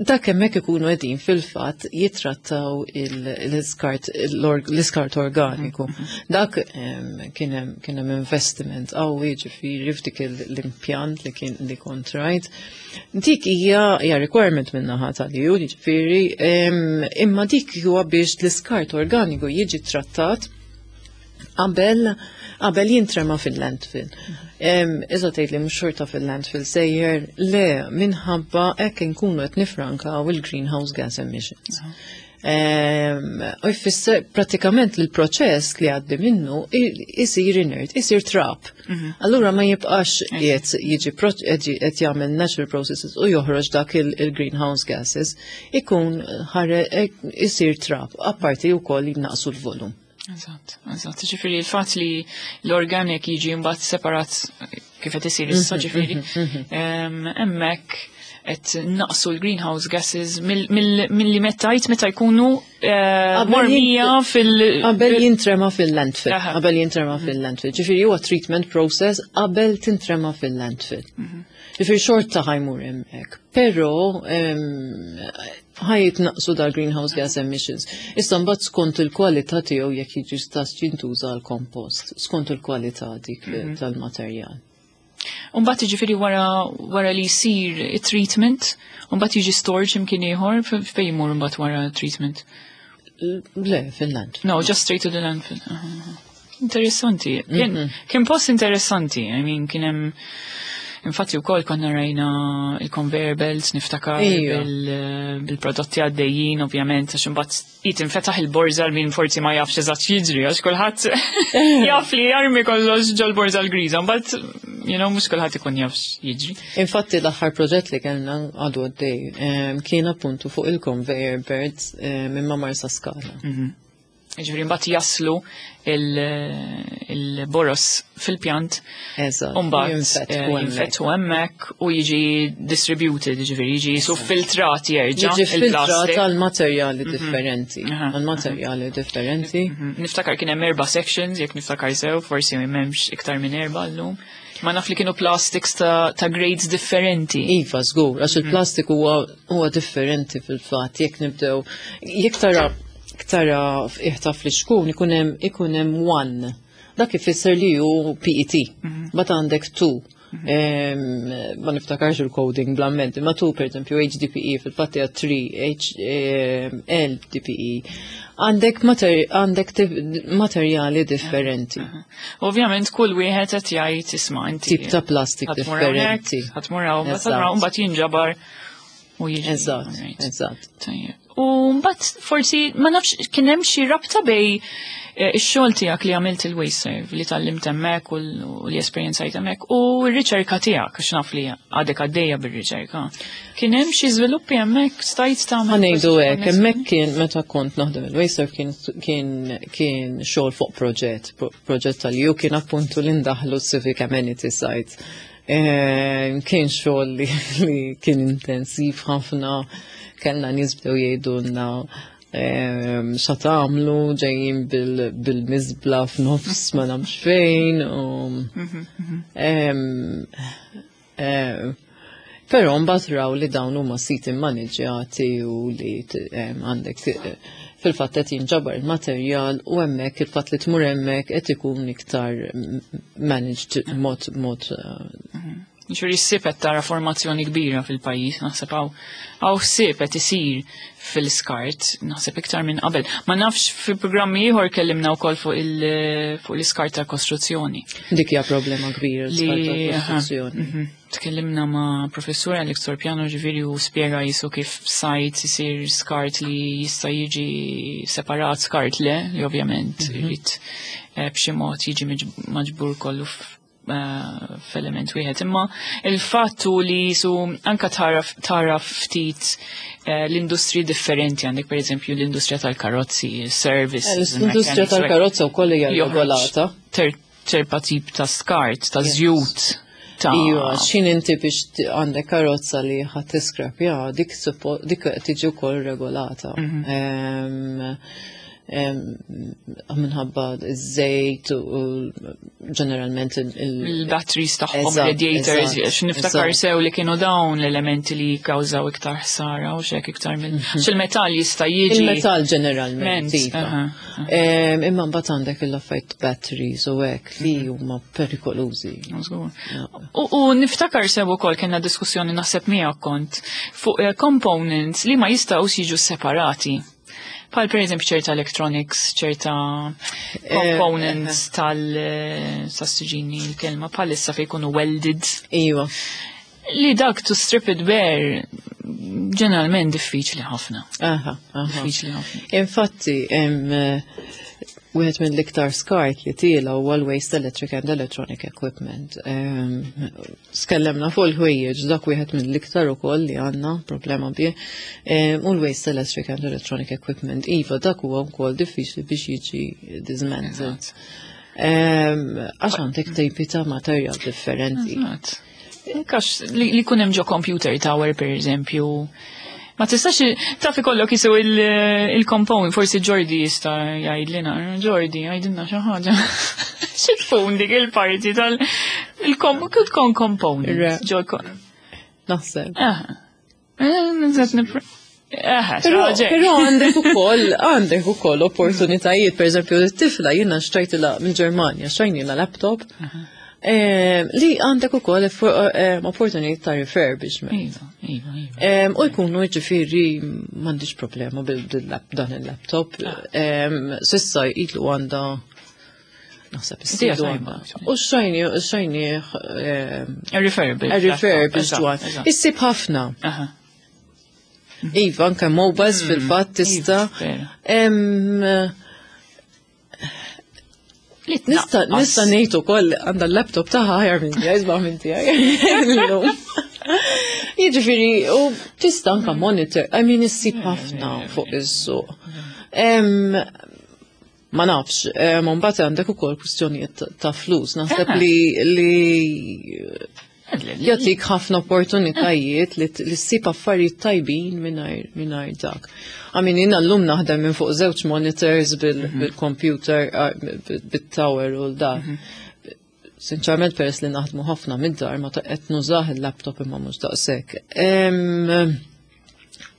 Dak hemmhekk ikunu qegħdin fil-fatt jitrattaw il- l-iskart l-iskart organiku. Dak em, kien hemm kien hemm investiment qawwi ġifieri f'dik il- l-impjant li kien li kont rajt. Dik hija hija requirement minn naħa tal-EU, ġifieri, em, imma dik huwa biex l-iskart organiku jiġi trattat qabel qabel jintrema fil-landfill. Iżda tgħid li mhux xorta fil-landfill sejjer, le minħabba hekk inkunu qed nifrankaw il-greenhouse gas emissions. Em, U jfisser pratikament l-proċess li għaddi minnu i- isir inert, isir trap. Allura ma jibqax qed jiġi pro- qed qed jagħmel natural processes u joħroġ dak il- il-greenhouse gases, ikun ħare isir trap, apparti wkoll jinnaqsu l-volum. Eżatt, eżatt. Ġifieri il-fatt li l-organic jiġi mbagħad separat kif qed isir issa ġifieri, em, hemmhekk qed naqsu l-greenhouse gases mill- mill- milli mettajt meta jkunu eh, Qabel mormija fil- Qabel jintrema fil-landfill. Aha. Qabel jintrema fil-landfill. Ġifieri huwa treatment process qabel tintrema fil-landfill. Ġifieri xorta ħa jmur hemmhekk. Però em, ħa jitnaqsu dal-greenhouse gas emissions. Issa mbagħad skont il-kwalità tiegħu jekk jiġi stas jintuża l-kompost, skont il-kwalità dik tal-materjal. Umbagħad jiġifieri wara wara li jsir it-treatment, umbagħad jiġi storage imkien ieħor fejn jmur mbagħad wara treatment. Le, fil-landfill. No, just straight to the landfill. Aha, aha. Interessanti. Kien, kien post interessanti. I mean, kien hemm Infatti wkoll konna rajna il-conveyor belts niftakar Ija. bil- bil-prodotti għaddejjin, ovvjament, għax imbagħad jitinfetaħ il-borża min forsi ma jafx eżatt jiġri, għax kulħadd jaf li jarmi kollox ġol-borża l-griża, mbagħad you know, mhux kulħadd ikun jaf jiġri. Infatti l-aħħar proġett li kellna għadu għaddej em, kien appuntu fuq il-conveyor belts em, minn ma' Marsaskala. Ġifieri mbagħad jaslu il- il-boros fil-pjant Eżatt. Umbagħad jinfetħu eh, hemmhekk. jinfetħu hemmhekk u jiġi distributed, ġifieri jiġi su filtrat jerġa' Jiġi filtrat il-plastik. għal materjali differenti. Aha, Għal materjali differenti. Mhm. Niftakar kien hemm erba' sections, jekk niftakar sew, forsi m'hemmx iktar minn erba' llum. Ma naf li kienu plastics ta', ta' grades differenti. Iva, żgur, għax il-plastik huwa huwa differenti fil-fatt, jekk nibdew, jekk tara tara iħtaf li xkun ikun hemm ikun hemm one. Dak ifisser li hu PET. But għandek two. Em, Ma niftakarx il-coding bl-amment, ma two per esempio HDPE fil-fatt hija three, H em, LDPE. Għandek mater- għandek tif- materjali differenti. Ovvjament kull wieħed qed jgħid isma' inti. Tip ta' plastik ħa tmur hawnhekk, differenti. ħa tmur hawn, mbagħad Eżatt. ħa tmur hawn, mbagħad jinġabar u jiġi. Eżatt, Alright. eżatt. Tajjeb. U mbagħad forsi ma nafx kien hemm xi rabta bej Eh, Ix-xogħol tiegħek li għamilt il-WasteServ, li tgħallimt hemmhekk u l- u li esperjenzajt hemmhekk u r-riċerka tiegħek, għax naf li għadek għaddejja bir-riċerka. Kien hemm xi żviluppi hemmhekk, stajt tagħmel? Ħa ngħidu forsi hekk, konnessjoni? Hemmhekk kien meta kont naħdem il-WasteServ kien kien kien xogħol fuq proġett, pro- proġett tal-ju kien appuntu li ndaħlu civic amenity sites. Eh, Kien xogħol li, li kien intensiv ħafna, kellna nies bdew jgħidulna ehm, xa tagħmlu, ġejjin bil- bil-miżbla f'nofs ma nafx fejn u Em, eh, Però mbagħad raw li dawn huma siti mmaneġġjati u li t- em, għandek t- fil-fatt qed jinġabar il-materjal u hemmhekk il-fatt li tmur hemmhekk qed ikun iktar managed mod mod eh, Ġifieri ssib qed tara formazzjoni kbira fil-pajjiż, naħseb hawn hawn ħsieb qed isir fil-skart, naħseb iktar minn qabel. Ma nafx, fil-programmi ieħor kellimna wkoll fuq il fuq l-iskart ta' kostruzzjoni. Dik hija problema kbira, l-iskart Li tal-kostruzzjoni. mhm. Tkellimna ma' professur Alex Torpiano, ġifieri, u spjega jisu kif sajt isir skart li jista' jiġi separat, skart le, li ovvjament irid eh, b'xi mod jiġi miġ- maġbur kollu f- eh, f'element wieħed. Imma il-fattu li jisu anka taraf taraf ftit eh, l-industri differenti, għandek per eżempju l-industrija tal-karozzi, service. L-industrija tal-karozza wkoll hija regolata. Ċerta tip ta' skart, ta' żjut. Ta' Iva, xin inti biex t- għandek karozza li ħa tiskrap, ja, dik suppo- dik tiġi wkoll regolata. Em, em, Minħabba iż-żejt u ġeneralment il- Il-batteries tagħhom, Eżatt, radiators, eżatt, għax niftakar eżatt. sew li kienu dawn l-elementi li kkawżaw iktar ħsara u xek iktar mill. Xil-metall jista' jiġi. Il-metall ġeneralment, Ment, iva. aha, aha. Em, Imma mbagħad għandek il-affarijiet batteries u hekk li huma perikolużi. Żgur. U, u niftakar sew ukoll kellna diskussjoni, naħseb miegħek kont, fuq eh, components li ma jistgħux jiġu separati. Bħal per eżempju ċerta electronics, ċerta components tal eh, tas-siġini l-kelma bħalissa fejn jkunu welded. Iva. Li dak to strip it bare ġeneralment diffiċli ħafna. Aha, aha. Diffiċli ħafna. Infatti, hemm eh, wieħed mill-iktar skart li tiela huwa l-waste electric and electronic equipment. Em, Tkellimna fuq il-ħwejjeġ, dak wieħed mill-iktar ukoll li għandna problema bih. Em, U l-waste electric and electronic equipment, iva, dak huwa wkoll diffiċli biex jiġi dismantled. Em, Għax għandek tipi ta' materjal differenti. Eżatt. Kax li, li kun hemm ġo computer tower, per eżempju. Ma tistax taf ikollok jisu il-component, forsi Jordi jista' jgħidlina, Jordi, jgħidilna xi ħaġa. Xi tkun dik il-parti tal il-kom component. Re. Ġo Naħseb. Ah. Eh, nżed nipr- Eh, Però xi ħaġa. però għandek ukoll għandek ukoll opportunitajiet, per eżempju, it-tifla jiena xtrajtilha mill-Ġermanja, xtrajnilha laptop. eh, Li għandek ukoll eh, opportunitajiet ta' refurbishment. Iva, iva, iva. Em, U jkunu, ġifieri, m'għandix problema bil-dan il-laptop. Em, S'issa ilu għandha, naħseb Idea issilu tajba. għandha. U xajni, xajni, Refurbished. refurbished Eżatt, one. eżatt. Issib ħafna. Aha. Iva, anke mobiles fil-fatt tista'. Iva, vera. Em, Li Nista' tnaqqas. nista' ngħid ukoll għandha l-laptop tagħha aħjar minn tiegħi, isbaħ minn tiegħi. Illum. Jiġifieri, u tista' anke monitor, I mean, issib ħafna fuq is-suq. Em, Ma nafx, em, mbagħad għandek ukoll kwistjonijiet ta- ta' flus, naħseb Ah. li li jagħtik ħafna opportunitajiet li li ssib affarijiet tajbin mingħajr mingħajr dak. I mean, jiena llum naħdem minn fuq żewġ monitors bil- bil-computer, ah, bil-tower u l-dak. Sinċerament, peress li naħdmu ħafna mid-dar, ma ta' qed nużah il-laptop imma mhux daqshekk. Em,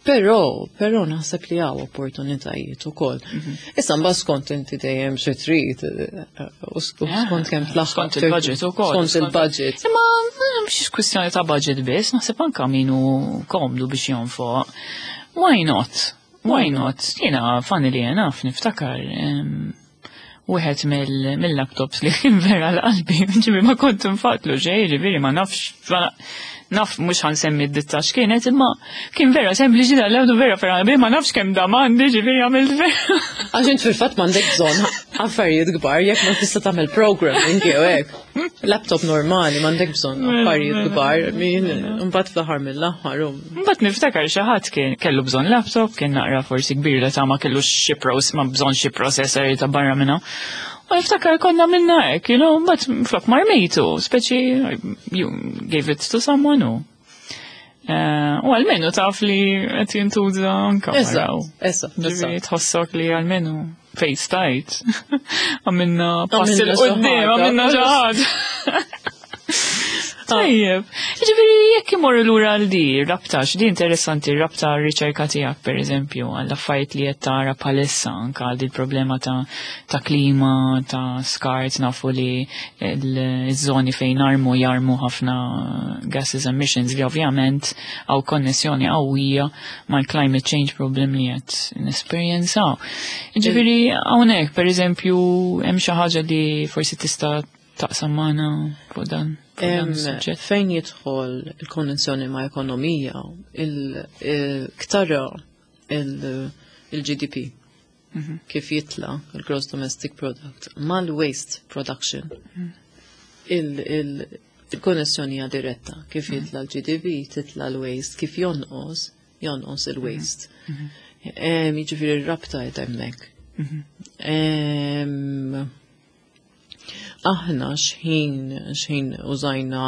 Però, però naħseb li hawn opportunitajiet ukoll. Issa mbagħad skont inti dejjem xi trid, eh, u sk- skont kemm tlaħħaq. Skont il-budget ukoll. Skont il-budget. Imma mhix kwistjoni ta' budget biss, naħseb anka min hu komdu biex jonfoq. Why not? Why not? Jiena funnily enough niftakar em, wieħed mill- mill-laptops li kien vera l-qalbi, ġifieri ma kont nfaqtlu xejn, ġifieri ma nafx, ma- naf mhux ħa nsemmi d-ditta x'kienet, imma kien vera sempliċi dal-laptop, vera vera qalbi, ma nafx kemm dam għandi, ġifieri għamilt vera. Għax int fil-fatt m'għandek bżonn, Affarijiet kbar, jekk ma tista' tagħmel programming jew hekk. Laptop normali m'għandek bżonn affarijiet kbar, min imbagħad fl-aħħar mill-aħħar. um, Mbagħad niftakar xi ħadd kien kellu bżonn laptop, kien naqra forsi kbir li ta' ma kellu xi pros, ma bżonn xi processor ta' barra minna. U niftakar konna minna hekk, you know, mbagħad flok marmejtu, speċi you gave it to someone u. Eh, U almenu taf li qed jintuża anka Eżatt, waraw. eżatt, Ġifieri eżatt. tħossok li almenu fejn stajt. Għamilna pass Għamilna 'il quddiem, xi ħaġa. għamilna xi ħaġa. Tajjeb, ġifieri jekk imorru lura għal di rabta, x'di interessanti rabta r-riċerka tiegħek per eżempju għall affarijiet li qed tara bħalissa anka għal di problema ta' ta' klima, ta' skart, nafu li l-żoni fejn armu jarmu ħafna gases emissions li ovvjament għaw konnessjoni qawwija mal-climate change problem li qed nesperjenzaw. Ġifieri hawnhekk per eżempju hemm xi ħaġa li forsi tista' taqsam magħna fuq dan. fuq dan Em, is-suġġett. Fejn jidħol il-konnessjoni ma' ekonomija, il-ktara il-G D P kif jitla il-Gross Domestic Product mal-waste production, il-konnessjoni hija diretta: kif jitla l-G D P titla l-waste, kif jonqos jonqos il-waste. Em, Jiġifieri r-rabta qed hemmhekk. Em, Aħna xħin xħin użajna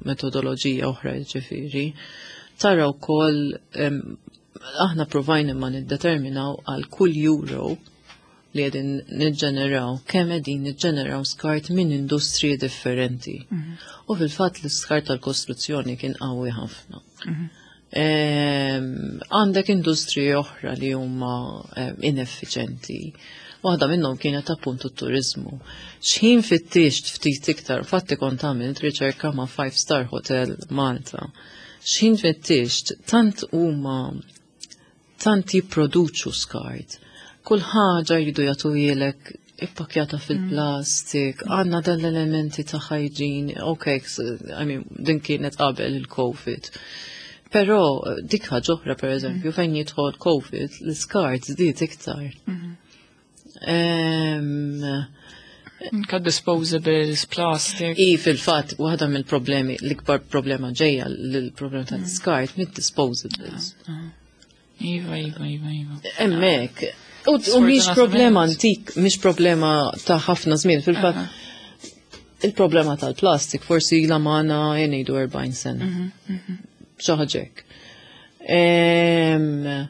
metodoloġija oħra, ġifieri, tara wkoll em, aħna provajna ma niddeterminaw għal kull euro li qegħdin niġġeneraw, kemm qegħdin niġġeneraw skart minn industriji differenti. U fil-fatt l-skart tal-kostruzzjoni kien qawwi ħafna. Em, Għandek industriji oħra li huma em, ineffiċenti. Waħda minnhom kienet appuntu t-turizmu. Xħin fittixt ftit iktar, fatti kont għamilt riċerka ma' Five Star Hotel Malta. Xħin fittixt, tant huma tant jipproduċu skart. Kull ħaġa jridu jagħtuhielek ippakjata fil-plastik, għandna dal-elementi ta' hygiene, ok, I mean, din kienet qabel il-Covid. Però dik ħaġa oħra, per eżempju, fejn jidħol Covid, l-iskart żdied iktar. Em, Anka disposables, plastic. I fil-fatt, waħda mill-problemi, l-ikbar problema ġejja l-problema tal-iskart mid-disposables. Iva, iva, iva, iva. Hemmhekk. U u mhix problema antik, mhix problema ta' ħafna żmien, fil-fatt il-problema tal-plastik forsi ila magħna jgħidu erbgħin sena. Xi ħaġa hekk. Em,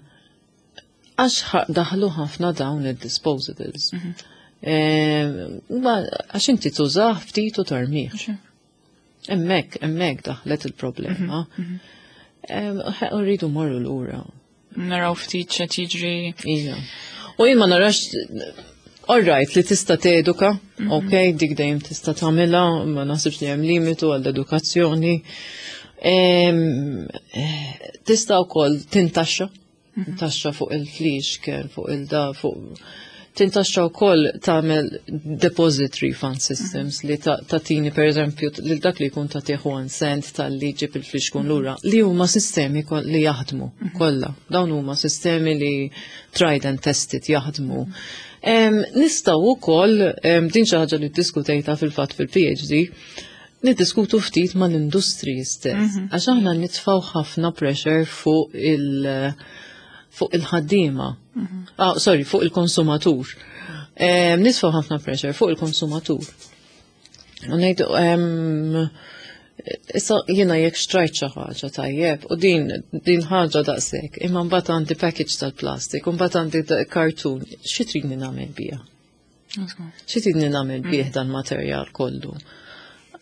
Għax ħa- daħlu ħafna dawn il-disposables. Em, ma- Għax inti tużah ftit u tarmih. Hemmhekk, hemmhekk daħlet il-problema. Em, U rridu morru lura. Naraw ftit x'qed jiġri. Ija. U jien ma narax, all right, li tista' teduka, ok, dik dejjem tista' tagħmilha, ma naħsibx li hemm limitu għall-edukazzjoni. Em, eh, Tista' wkoll tintaxxa, taxxa fuq il-flixken, fuq il-da, fuq tintaxxa wkoll, tagħmel deposit refund systems li ta- tatini per eżempju lil dak li jkun tagħtih one cent talli ġib il-flixkun lura, li huma sistemi kol- li jaħdmu kollha. Dawn huma sistemi li tried and tested jaħdmu. Em, Nistgħu wkoll em, din xi ħaġa li ddiskutejta fil-fatt fil-P H D, niddiskutu ftit mal-industriji stess. Għax aħna nitfaw ħafna pressure fuq il- fuq il-ħaddiema. Ah, sorry, fuq il-konsumatur. Em, Nitfaw ħafna pressure fuq il-konsumatur. U ngħidu, em, issa jiena jekk xtrajt xi ħaġa tajjeb, u din din ħaġa daqshekk, imma mbagħad għandi package tal-plastik, u mbagħad għandi da- kartun, xi tridni nagħmel biha? Xi tridni nagħmel bih dan materjal kollu?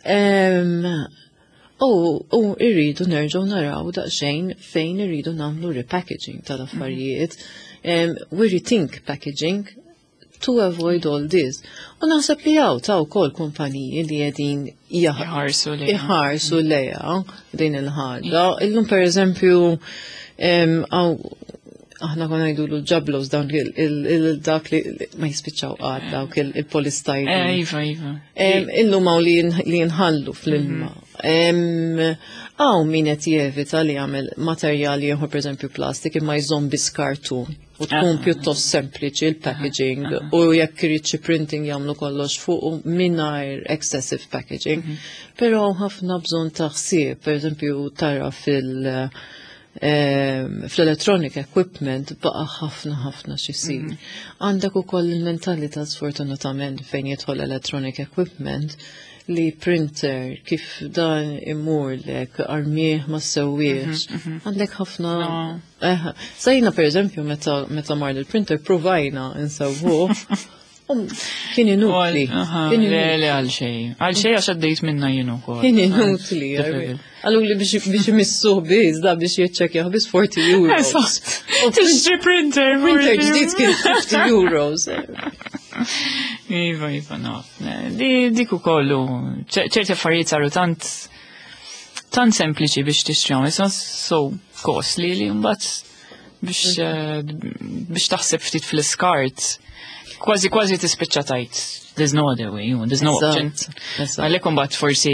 Em, U u irridu nerġgħu naraw daqsxejn fejn irridu nagħmlu repackaging tal-affarijiet. Um, we rethink packaging to avoid all this. U naħseb li hawn ta' wkoll kumpaniji li qegħdin jah- Iħarsu lejha. iħarsu lejha din il-ħaġa. Illum per eżempju em, għaw aħna konna ngħidu l-ġablos dawn il- il- il- dak li li ma jispiċċaw qatt, dawk il-polystyrene. Eh, Iva, iva. Em, Illum hawn li jin- li jinħallu fl-ilma. Hawn min qed jevita li jagħmel materjali ieħor, pereżempju plastik, imma jżomm biss kartun u tkun pjuttost sempliċi il-packaging u jekk irid xi printing jagħmlu kollox fuq u mingħajr excessive packaging. Mhm. Però ħafna bżonn ta' ħsieb, pereżempju tara fil- fl-electronic equipment baqa ħafna ħafna x'isir. Mhm. Għandek ukoll il-mentalità, sfortunatament, fejn jidħol electronic equipment li printer kif dan imur lek armieħ ma sewwiex. Mhm, mhm. Għandek ħafna. Sejna per eżempju meta meta mar il-printer provajna insewwuh. Kien inutli. Le, le, għal xejn. Għal xejn għax għaddejt minna jien ukoll. Kien inutli. Qallu li biex imissuh biss, da biex jiċċekkjaw biss forty euros. Tixtri printer. Printer ġdid kien fifty euros. Iva, iva, no. Dik ukoll, ċerti affarijiet saru tant tant sempliċi biex tixtrihom, issa so costly li mbagħad biex eh, biex taħseb ftit fl-iskart kważi kważi tispiċċa tgħid there's no other way, there's no option. Għalhekk imbagħad forsi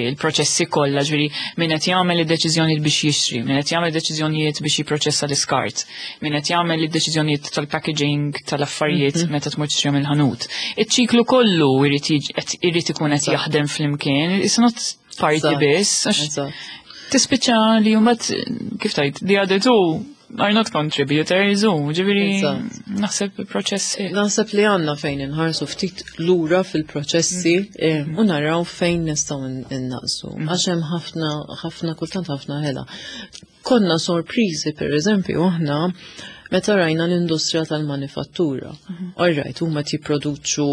il-proċessi kollha, ġifieri min qed jagħmel id-deċiżjonijiet biex jixtri, min qed jagħmel deċiżjonijiet biex jipproċessa l-iskart, min qed jagħmel id-deċiżjonijiet tal-packaging tal-affarijiet mhm. meta tmur tixtri mill-ħanut. Iċ-ċiklu kollu irid ikun qed jaħdem flimkien, it's not parti biss. Tispiċċa li mbagħad kif tgħid, the other two are not contributors u ġifieri naħseb proċessi. Naħseb li għandna fejn inħarsu ftit lura fil-proċessi mm. eh, u naraw fejn nistgħu innaqsu. Mm. Għax hemm ħafna ħafna kultant ħafna ħela. Konna sorpriżi, per eżempju, aħna meta rajna l-industrija tal-manifattura. Mhm. All right, huma jipproduċu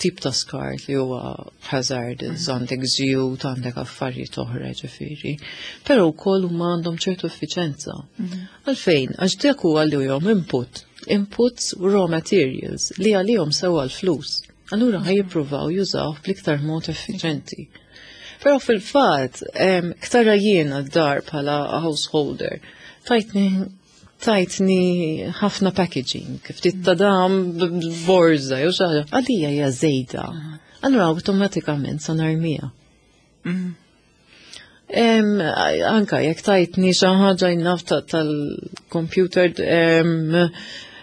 tip ta' skart li huwa hazardous, mhm. għandek żjut, għandek affarijiet oħra ġifieri. Però wkoll huma għandhom ċertu effiċenza. Mhm. Għalfejn? Għax dak huwa li jom input. Inputs, raw materials li għalihom sewa l-flus. Allura ħa jippruvaw jużaw bl-iktar mod effiċenti. Però fil-fatt, ktara jiena d-dar bħala householder, tajtni tajtni ħafna packaging, ftit ta' dam borza, jew xi ħaġa, għalija hija żejda. Allura awtomatikament sa narmija. Mm. Anka jekk tajtni xi ħaġa jnaf tal-computer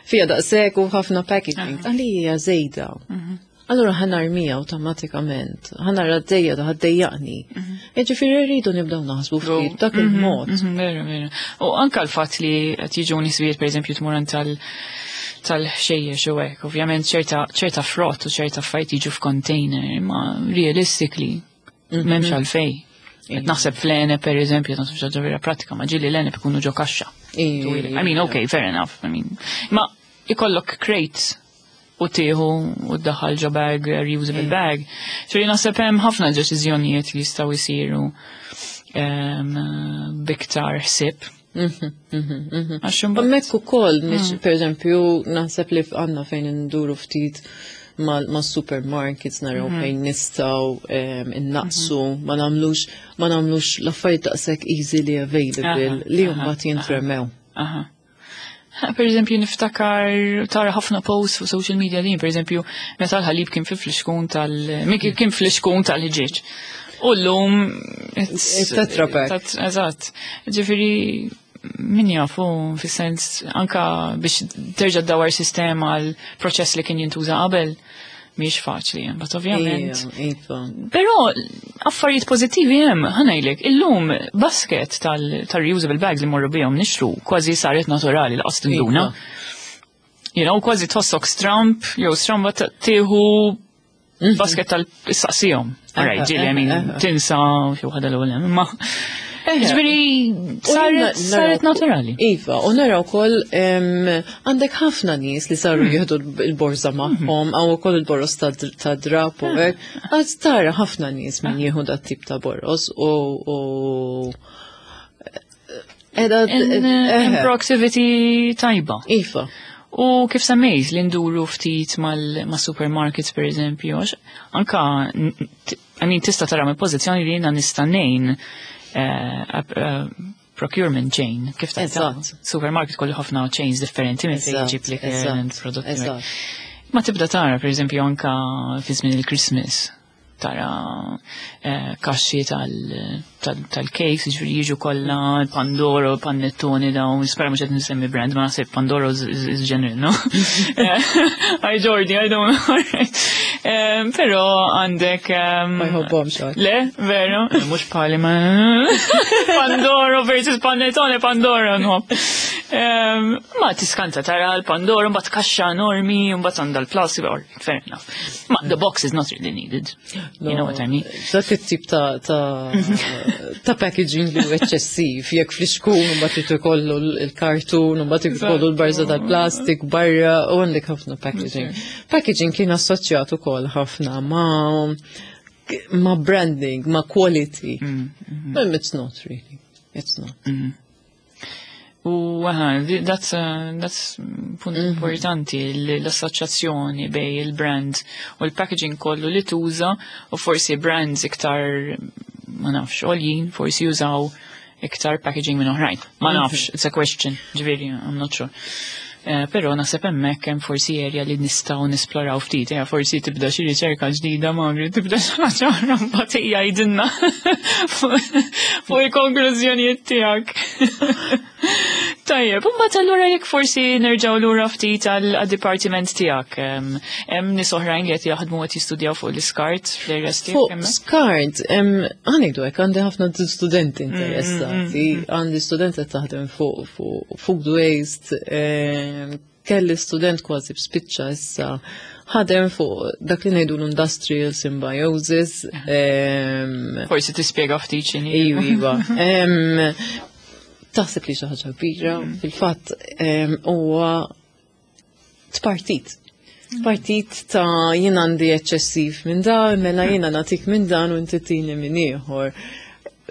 fija daqshekk u ħafna packaging, għalija żejda. Mhm. Allura ħa narmija awtomatikament, ħa nara d-dejja da ħaddejjaqni. Mhm. Ġifieri rridu nibdew naħsbu ftit dak mhm, il-mod. Mhm, vera, vera. U anka l-fatt li qed jiġu nisbiet, pereżempju tmur tal tal-ħxejjex u hekk, ovvjament ċerta ċerta frott u ċerta affarijiet jiġu f'container, imma realistically m'hemmx għalfejn. Qed naħseb fl-għeneb, per eżempju, naħseb xi ħaġa vera pratika, ma ġieli l-għeneb ikunu ġo kaxxa. I mean, okay, fair enough. I mean, ma ikollok crates u tieħu u ddaħħal ġo bag, reusable bag. So naħseb hemm ħafna deċiżjonijiet li jistgħu jsiru b'iktar ħsieb. Mhm, mhm, mhm. Għax imbagħad ukoll, mm. per eżempju, naħseb li għandna fejn induru ftit ma' supermarkets naraw fejn nistgħu innaqsu, ma nagħmlux ma nagħmlux l-affarijiet daqshekk easily available li mbagħad jintremew. Aha. Per eżempju, niftakar tara ħafna posts fuq social media din, per eżempju, meta l-ħalib kien fi flixkun tal kien flixkun tal-ħġieġ. U llum Tetra Pak. Eżatt. Ġifieri min jafu, fis-sens anka biex terġa' ddawar sistema għal proċess li kien jintuża qabel mhix faċli, but ovvjament. Iva. Però affarijiet pożittivi hemm, ħa ngħidlek, illum basket tal-reusable bags li morru bihom nixtru kważi saret naturali lanqas tinduna. You know, kważi tħossok stramp, jew stramba tieħu mhm. basket tal-saqsijom. Alright, ġieli, I mean, tinsa xi waħda l-ewwel, imma ġifieri, saret, saret naturali. Iva, u naraw ukoll għandek ħafna nies li saru hmm. jieħdu il-borza magħhom, għaw ukoll il-boros ta' drap u hekk. Għad tara ħafna nies min jieħu dat tip ta' boros u Edha proactivity tajba. Iva. U kif semmejt li nduru ftit mal-supermarkets, per eżempju, anka I mean, tista' tara mill pożizzjoni li jiena nista' ngħin eh, eh, procurement chain, kif ta' supermarket kollu ħafna chains differenti minn fejn ġib li prodotti. Ma tibda tara, per eżempju, anka fi żmien il-Christmas. Tara eh, kaxxi tal-cakes, ġifieri jiġu kollha Pandoro, Panettone dawn, nispera mhux qed nsemmi brand, ma naħseb Pandoro is, is general, no? Hi Jordi, I don't know. Um, Però għandek... Um, Ma jħobbhomx għad. Le, vero? Mhux bħali ma. Pandoro versus Panettone, Pandoro, no. Um, ma tiskanta tara l-Pandoro, mbagħad kaxxa enormi, mbagħad għandha l-plastik, or fair enough. Ma the box is not really needed. You know what I mean? Dak it-tip ta' ta' ta' packaging li hu eċċessiv, jekk flixkun u mbagħad irid ikollu l-kartun u mbagħad ikollu l-barza tal-plastik barra u għandek ħafna packaging. Packaging kien assoċjat ukoll ħafna ma' ma' branding, ma' quality. But it's not really. It's not. U aha, that's, uh, that's punt importanti, l- l-assoċjazzjoni bejn il-brand u l-packaging kollu li tuża u forsi brands iktar, ma nafx, għoljin, forsi jużaw iktar packaging minn oħrajn. Ma nafx, it's a question, ġifieri, I'm not sure. Eh, Però naħseb hemmhekk hemm forsi area li nistgħu nisploraw ftit, eh, forsi tibda xi riċerka ġdida Magri, tibda xi ħaġa oħra mbagħad jgħidilna fuq il-konklużjonijiet tiegħek. Tajjeb, u mbagħad allura jekk forsi nerġgħu lura ftit għal-dipartiment tiegħek. Hemm hemm nies oħrajn li qed jaħdmu qed jistudjaw fuq l-iskart fl-areas tiegħek Fuq hemmhekk? skart, ħa ngħidu hekk, għandi ħafna studenti interessati, għandi studenti qed taħdem fuq fuq food waste, em, kelli student kważi b'spiċċa issa ħadem fuq dak li ngħidu l-industrial symbiosis. em, Forsi tispjega ftit x'inhi. Iva, iva. Em, Taħseb li xi ħaġa kbira, fil-fatt em, huwa tpartit. Partit ta' jien għandi eċċessiv minn dan, mela jiena nagħtik minn dan u inti tini minn ieħor.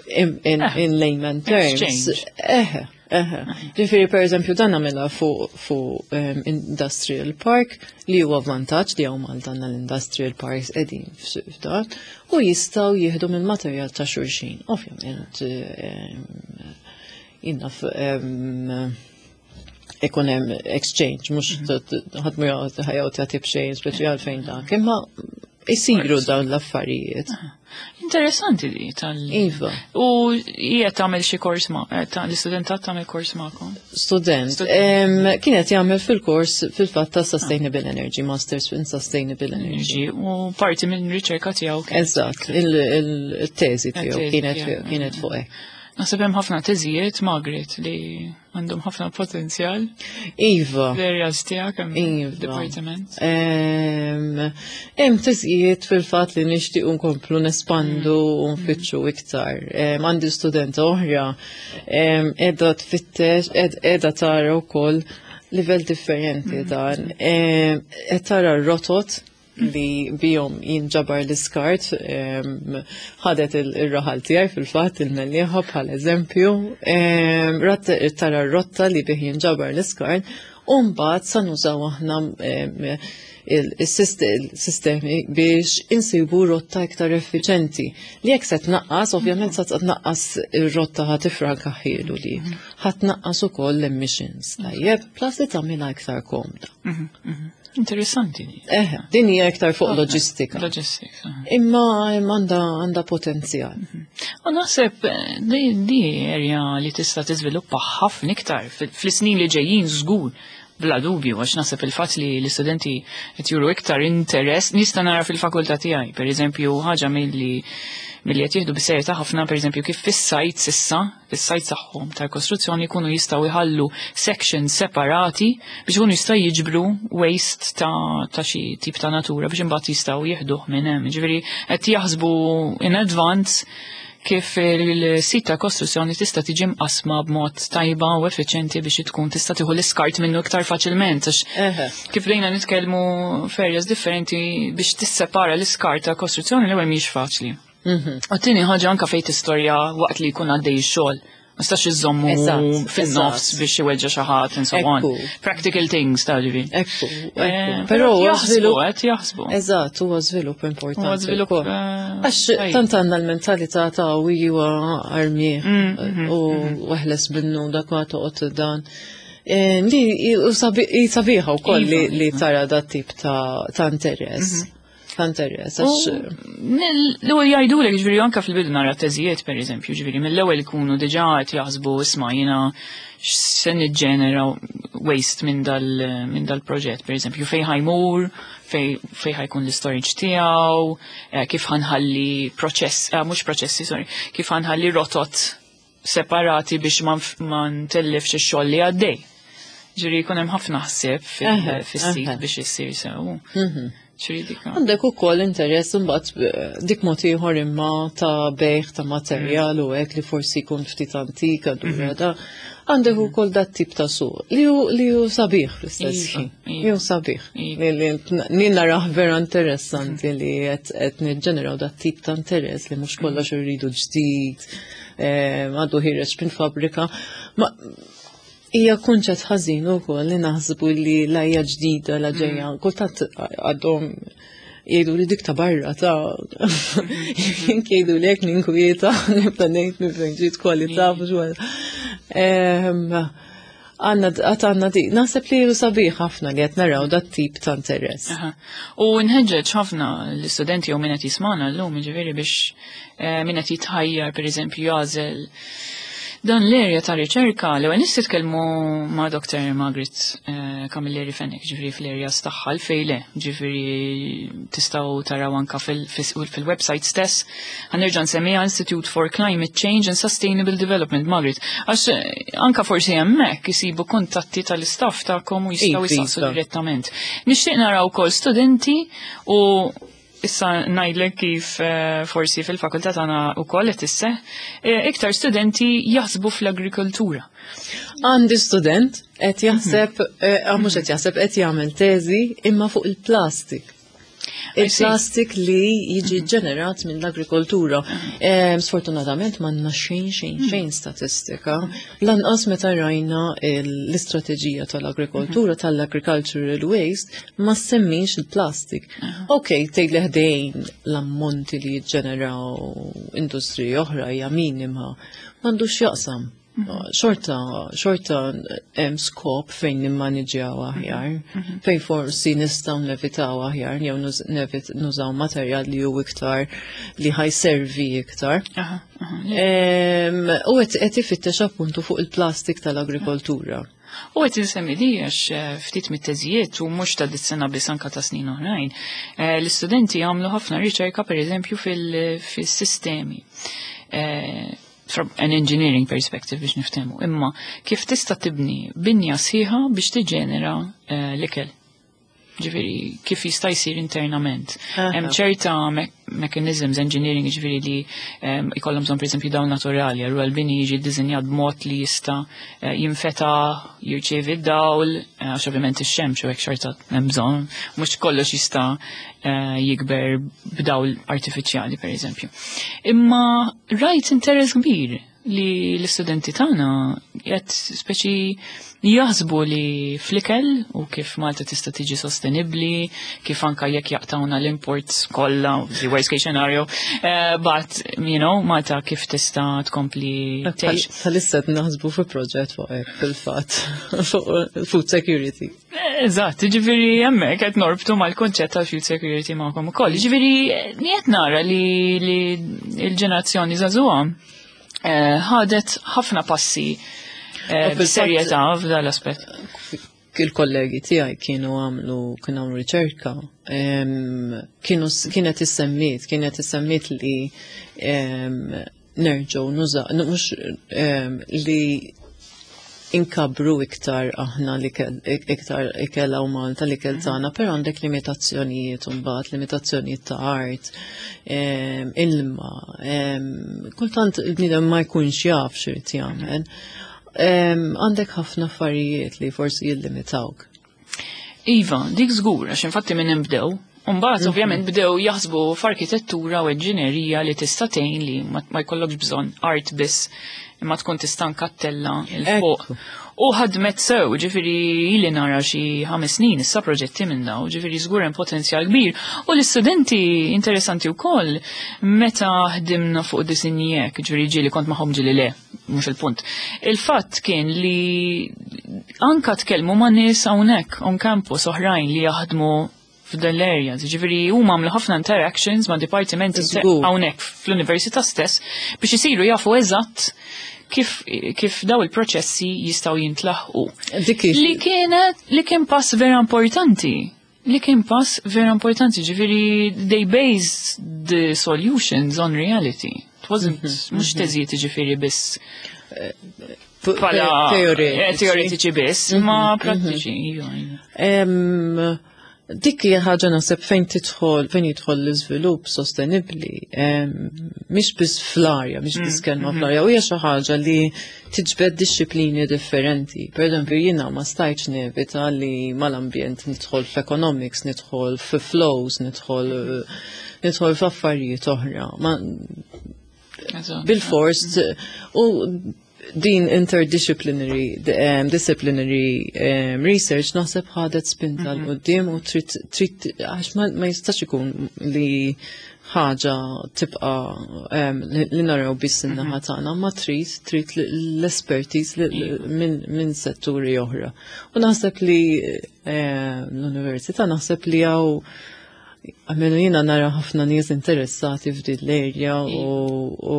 In, in, Eh, in layman terms. exchange. Eħe, eħe. Ġifieri, per eżempju, dan għamilha fuq fu, um, Industrial Park li huwa vantaġġ li hawn Malta għandna l-Industrial Parks qegħdin f'dan u jistgħu jieħdu mill-materjal ta' xulxin. Ovvjament, um, jiena um, ikun hemm exchange, mhux ħadd mu ħa joqgħod jagħti b'xejn speċjal fejn dak, imma isiru dawn l-affarijiet. Interessanti di tal. Iva. U hija tagħmel xi kors ma' eh, ta' l-istudentat tagħmel kors magħkom? Student, Student. em, kienet jagħmel fil-kors fil-fatt ta' Sustainable Energy, Masters in Sustainable Energy. Energy u parti minn riċerka tiegħu kien. Eżatt, il-teżi tiegħu Il-teżi kienet tiegħu. kienet fuq hekk. Naħseb hemm ħafna teżijiet Margaret li għandhom ħafna potenzjal Iva. fl-areas tiegħek hemm Iva. dipartiment. Em, Hemm teżijiet fil-fatt li nixtiequ nkomplu nespandu u nfittxu iktar. Em, Għandi studenta oħra em, qiegħda tfittex, qiegħda tara wkoll livell differenti dan. Em, Qed tara r-rotot li bihom jinġabar l-iskart, em, ħadet il-raħal tiegħi fil-fatt il-Mellieħa bħal eżempju, em, rat tara r-rotta li bih jinġabar l-iskart, u mbagħad sa nużaw aħna em, il-sistemi biex insibu rotta iktar effiċenti. Li jekk se tnaqqas, ovvjament se tnaqqas ir-rotta ħa tifranka ħielu li ħa tnaqqas ukoll l-emissions. Tajjeb, plus li tagħmilha iktar komda. Mhm, mhm. Interessanti di. Eħe, din hija iktar fuq loġistika. Logistics. aha. Imma imma għandha għandha potenzjal. U naħseb eh, di, di area li tista' tiżviluppa ħafna iktar fil- fl-snin li ġejjin żgur bla dubju għax naħseb il-fatt li l-istudenti qed juru iktar interess nista' nara fil-fakultà tiegħi, pereżempju ħaġa milli milli qed jieħdu bis-serjetà ħafna pereżempju kif fis-sajt s'issa, fis-sajt tagħhom tal-kostruzzjoni jkunu jistgħu jħallu sections separati biex ikunu jistgħu jiġbru waste ta' ta' xi tip ta' natura biex imbagħad jistgħu jieħduh minn hemm. Ġifieri qed jaħsbu in advance kif il-sit ta' kostruzzjoni tista' tiġi mqasma b'mod tajba u effiċjenti biex tkun tista' tieħu l-iskart minnu iktar faċilment għax Eħe. kif bdejna nitkellmu f'areas differenti biex tissepara l-iskart ta' kostruzzjoni l-ewwel mhix faċli. Mhm. U t-tieni ħaġa anka fejn tistorja waqt li jkun għaddej ix-xogħol. Ma stax iżommu Eżatt, fin-nofs eżatt. biex iweġġa xi ħadd and so on. Ekku. Practical things ta' ġifieri. Ekku, Eh, ekku. Però huwa jaħsbu, żvilupp. qed jaħsbu. Eżatt, huwa żvilupp importanti. Huwa żvilupp, ukoll. eh, Għax tajjeb. tant għandna l-mentalità ta' u iwa armi Mm, mhm, u weħles minnu dak ma toqgħod dan. Eh, Li u sabi- sabiħa wkoll li Iva, li iva. tara dat tip ta' ta' interess. Ta' interess. Għax L-ewwel jgħidulek, ġifieri anke fil-bidu nara teżijiet, pereżempju, ġifieri mill-ewwel ikunu diġà qed jaħsbu, isma', jiena x'se niġġenera waste minn dal minn dal-proġett, pereżempju, fejn ħa jmur, fej fej ħa jkun l-storage tiegħu, eh, kif ħa nħalli proċess, eh, mhux proċessi, sorry, kif ħa nħalli rotot separati biex ma nf- ma ntellifx ix-xogħol li għaddej. Ġifieri jkun hemm ħafna ħsieb fil- Eħe, fis-sit eħe. biex issir sew. Mhm. Ġifieri dik. Għandek ukoll interess imbagħad eh, dik mod ieħor imma ta' bejgħ ta' materjal u hekk li forsi jkun ftit antik allura da għandek ukoll dat tip ta' suq li hu li hu sabiħ fl-istess Iva, ħin. iva. Li hu sabiħ. Iva. Li li li narah vera interessanti li qed qed niġġeneraw dat tip ta' interess li mhux kollox irridu ġdid, eh, għadu ħiereġ minn fabbrika. Ma hija kunċett ħażin ukoll li naħsbu li la hija ġdida la ġejja. Kultant għadhom jgħidu li dik ta' barra ta' jien jgħidu li jekk ninkwieta nibda ngħid minn fejn ġiet kwalità mhux wara. Ehm, Għanna għat għanna di, naħseb li hu sabiħ ħafna li qed naraw dat tip ta' interess. Aha. U nħeġġeġ ħafna l-istudenti jew min qed jismana llum, ġifieri biex eh, min qed jitħajjar, pereżempju, jagħżel dan l-area ta' riċerka, l-ewwel nies titkellmu ma' Doctor Margaret eh, Camilleri Fenech, ġifieri fl-area tagħha l-fejn le, ġifieri tistgħu taraw anka fil- fil- fil-website stess. Ħa nerġa' nsemmiha, Institute for Climate Change and Sustainable Development, Margaret. Għax eh, anka forsi hemmhekk isibu kuntatti tal-istaff tagħkom u jistgħu Iva, jistaqsu iva. direttament. Nixtieq naraw ukoll studenti, u issa ngħidlek kif eh, forsi fil-fakultà tagħna wkoll qed isseħ, eh, iktar studenti jaħsbu fl-agrikoltura. Għandi student qed jaħseb, eh, ah, mhux qed jaħseb, qed jagħmel teżi imma fuq il-plastik. I see. Il-plastik li jiġi ġenerat minn l-agrikoltura. Em, Sfortunatament m'għandna xejn xejn xejn statistika. Lanqas meta rajna l- l-istrateġija tal-agrikoltura, tal-agricultural waste, ma semmix il-plastik. Ok, tgħid li ħdejn l-ammonti li jiġġeneraw industriji oħra hija minima, m'għandux jaqsam. Xorta, xorta hemm skop fejn nimmaniġjaw aħjar, fejn forsi nistgħu nevitaw aħjar, jew nuż- nevit- nużaw materjal li hu iktar li ħa jservi iktar. Aha, aha. Em, U qed qed ifittex appuntu fuq il-plastik tal-agrikoltura. U qed insemmi di għax eh, ftit mit-teżijiet, u mhux ta' dis-sena biss, anka ta' snin oħrajn, eh, l-istudenti jagħmlu ħafna riċerka, pereżempju, fil- fil-sistemi. Eh, From an engineering perspective, biex niftehmu, imma kif tista' tibni binja sħiħa biex tiġenera eh, l-ikel. Ġifieri, kif jista' jsir internament. Aha. Hemm ċerta me mechanisms engineering, ġifieri li um, ikollhom bżonn, pereżempju, dawl naturali, allura l-bini jiġi ddisinjat b'mod li jista' eh, jinfeta, jirċievi d-dawl, eh, għax ovvjament ix-xemx u hekk xorta hemm bżonn, mhux kollox jista' eh, jikber b'dawl artifiċjali, pereżempju. Imma rajt interess kbir li l-istudenti tagħna qed speċi jaħsbu li fl-ikel u kif Malta tista' tiġi sostenibbli, kif anka jekk jaqtawna l-imports kollha, the worst case scenario, uh, but you know, Malta kif tista' tkompli tgħix. Bħalissa qed naħsbu fi proġett fuq hekk fil-fatt, fuq food security. Eżatt, ġifieri hemmhekk qed norbtu mal-konċett ta' food security magħkom ukoll. Ġifieri qed nara li, li l-ġenerazzjoni żagħżugħa eh, ħadet ħafna passi eh, U fil-fatt- b'serjetà f'dan l-aspett. Il-kollegi tiegħi kienu għamlu kienu għamlu riċerka, em, kienu kienet issemmiet kienet issemmiet li em, nerġgħu nuża mhux em, li inkabru iktar aħna li iktar ikel hawn Malta, li ikel tagħna, però għandek limitazzjonijiet imbagħad, limitazzjonijiet ta' art, em, ilma, em, kultant il-bniedem ma jkunx jaf x'irid jagħmel. Em, Għandek ħafna affarijiet li forsi jillimitawk. Iva, dik żgur, għax infatti minn hemm bdew. Mbagħad ovvjament bdew jaħsbu f'arkitettura u inġinerija li tista' tgħin li ma ma jkollokx bżonn art biss, imma tkun tista' nkattella 'il fuq. Ekku. U ħadmet sew, ġifieri ili nara xi ħames snin issa proġetti minn daw, ġifieri żgur hemm potenzjal kbir. U l-istudenti interessanti wkoll meta ħdimna fuq disinji hekk, ġifieri ġieli kont magħhom, ġieli le, mhux il-punt. Il-fatt kien li anka tkellmu ma' nies hawnhekk on campus oħrajn li jaħdmu f'dan l-area. Ġifieri huma għamlu ħafna interactions ma' dipartimenti Żgur. hawnhekk fl-università stess biex isiru jafu eżatt kif, kif daw il-proċessi jistgħu jintlaħqu. Dik hi- Li kienet, li kien pass vera importanti. Li kien pass vera importanti, ġifieri they based the solutions on reality. It wasn't, mhux teżijiet ġifieri biss bħala Teoretiċi. eh, teoretiċi biss, ma prattiċi. iva, iva. Em, Dik hija ħaġa naħseb fejn tidħol fejn jidħol l-iżvilupp sostenibbli, em, mhix biss fl-arja, mhix biss kelma fl-arja, u hija xi ħaġa li tiġbed dixxiplini differenti. Per eżempju, jiena ma stajtx nevita li mal-ambjent nidħol f'economics, nidħol f'flows, nidħol nidħol f'affarijiet oħra. Ma Eżatt. bil-fors u din interdisciplinary um, disciplinary um, research naħseb ħadet spinta 'l quddiem u trid trid għax ma, ma jistax ikun li ħaġa tibqa um, li li naraw biss in-naħa tagħna, ma trid trid l-expertise li- li- minn min setturi oħra. U naħseb li eh, l-università naħseb li hawn Għamelu jina nara ħafna nies interessati f'din l-area u, u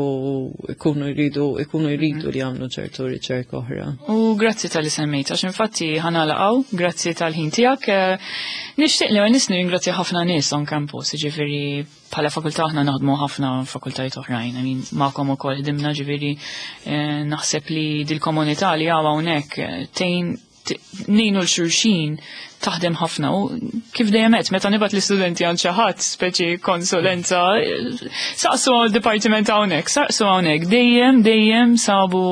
ikunu jridu ikunu jridu li jagħmlu ċertu riċerka oħra. U grazzi talli semmejt, għax infatti ħa nagħlqu, grazzi tal-ħin tiegħek. Eh, Nixtieq li nis nirringrazzja ħafna nies on campus, ġifieri bħala fakultà aħna naħdmu ħafna fakultajiet oħrajn, I mean, magħkom ukoll ħdimna ġifieri eh, naħseb li dil-komunità li hawn hawnhekk eh, tgħin t- ngħinu 'l xulxin taħdem ħafna u kif dejjem għedt, meta nibgħat l-istudenti għand xi ħadd speċi konsulenza, eh, saqsu għal-dipartiment hawnhekk, saqsu hawnhekk, dejjem dejjem sabu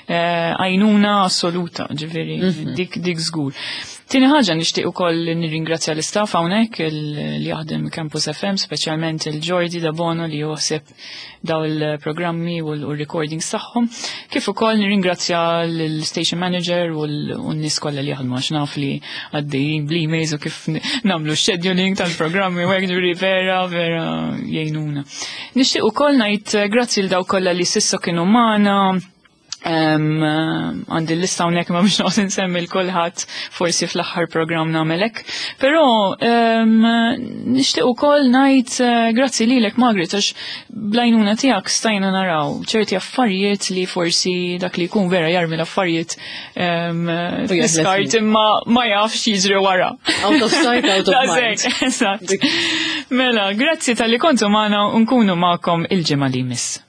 eh, għajnuna assoluta, ġifieri dik dik żgur. Tieni ħaġa nixtieq ukoll nirringrazzja l-istaff hawnhekk il- li jaħdem Campus F M, speċjalment il-Jordi Dabono li joħseb daw il-programmi u l-recordings tagħhom. Kif ukoll nirringrazzja l-station manager u l-nies kollha li jaħdmu għax naf li għaddejjin bl-emails u kif nagħmlu scheduling tal-programmi u hekk ġifieri vera vera jgħinuna. Nixtieq ukoll ngħid eh, grazzi l daw kollha li s'issa kienu magħna. Um, għandi l-lista hawnhekk ma biex noqgħod insemmi 'l kulħadd, forsi fl-aħħar programm nagħmelek. Però um, nixtieq ukoll ngħid uh, grazzi lilek, Margaret, għax bl-għajnuna tiegħek stajna naraw ċerti affarijiet li forsi dak li jkun vera jarmi l-affarijiet um, fl-iskart imma ma jafx jiġri wara. Out of sight, out of mind. Eżatt. Mela, grazzi talli kontu magħna u nkunu magħkom il-ġimgħa li jmiss.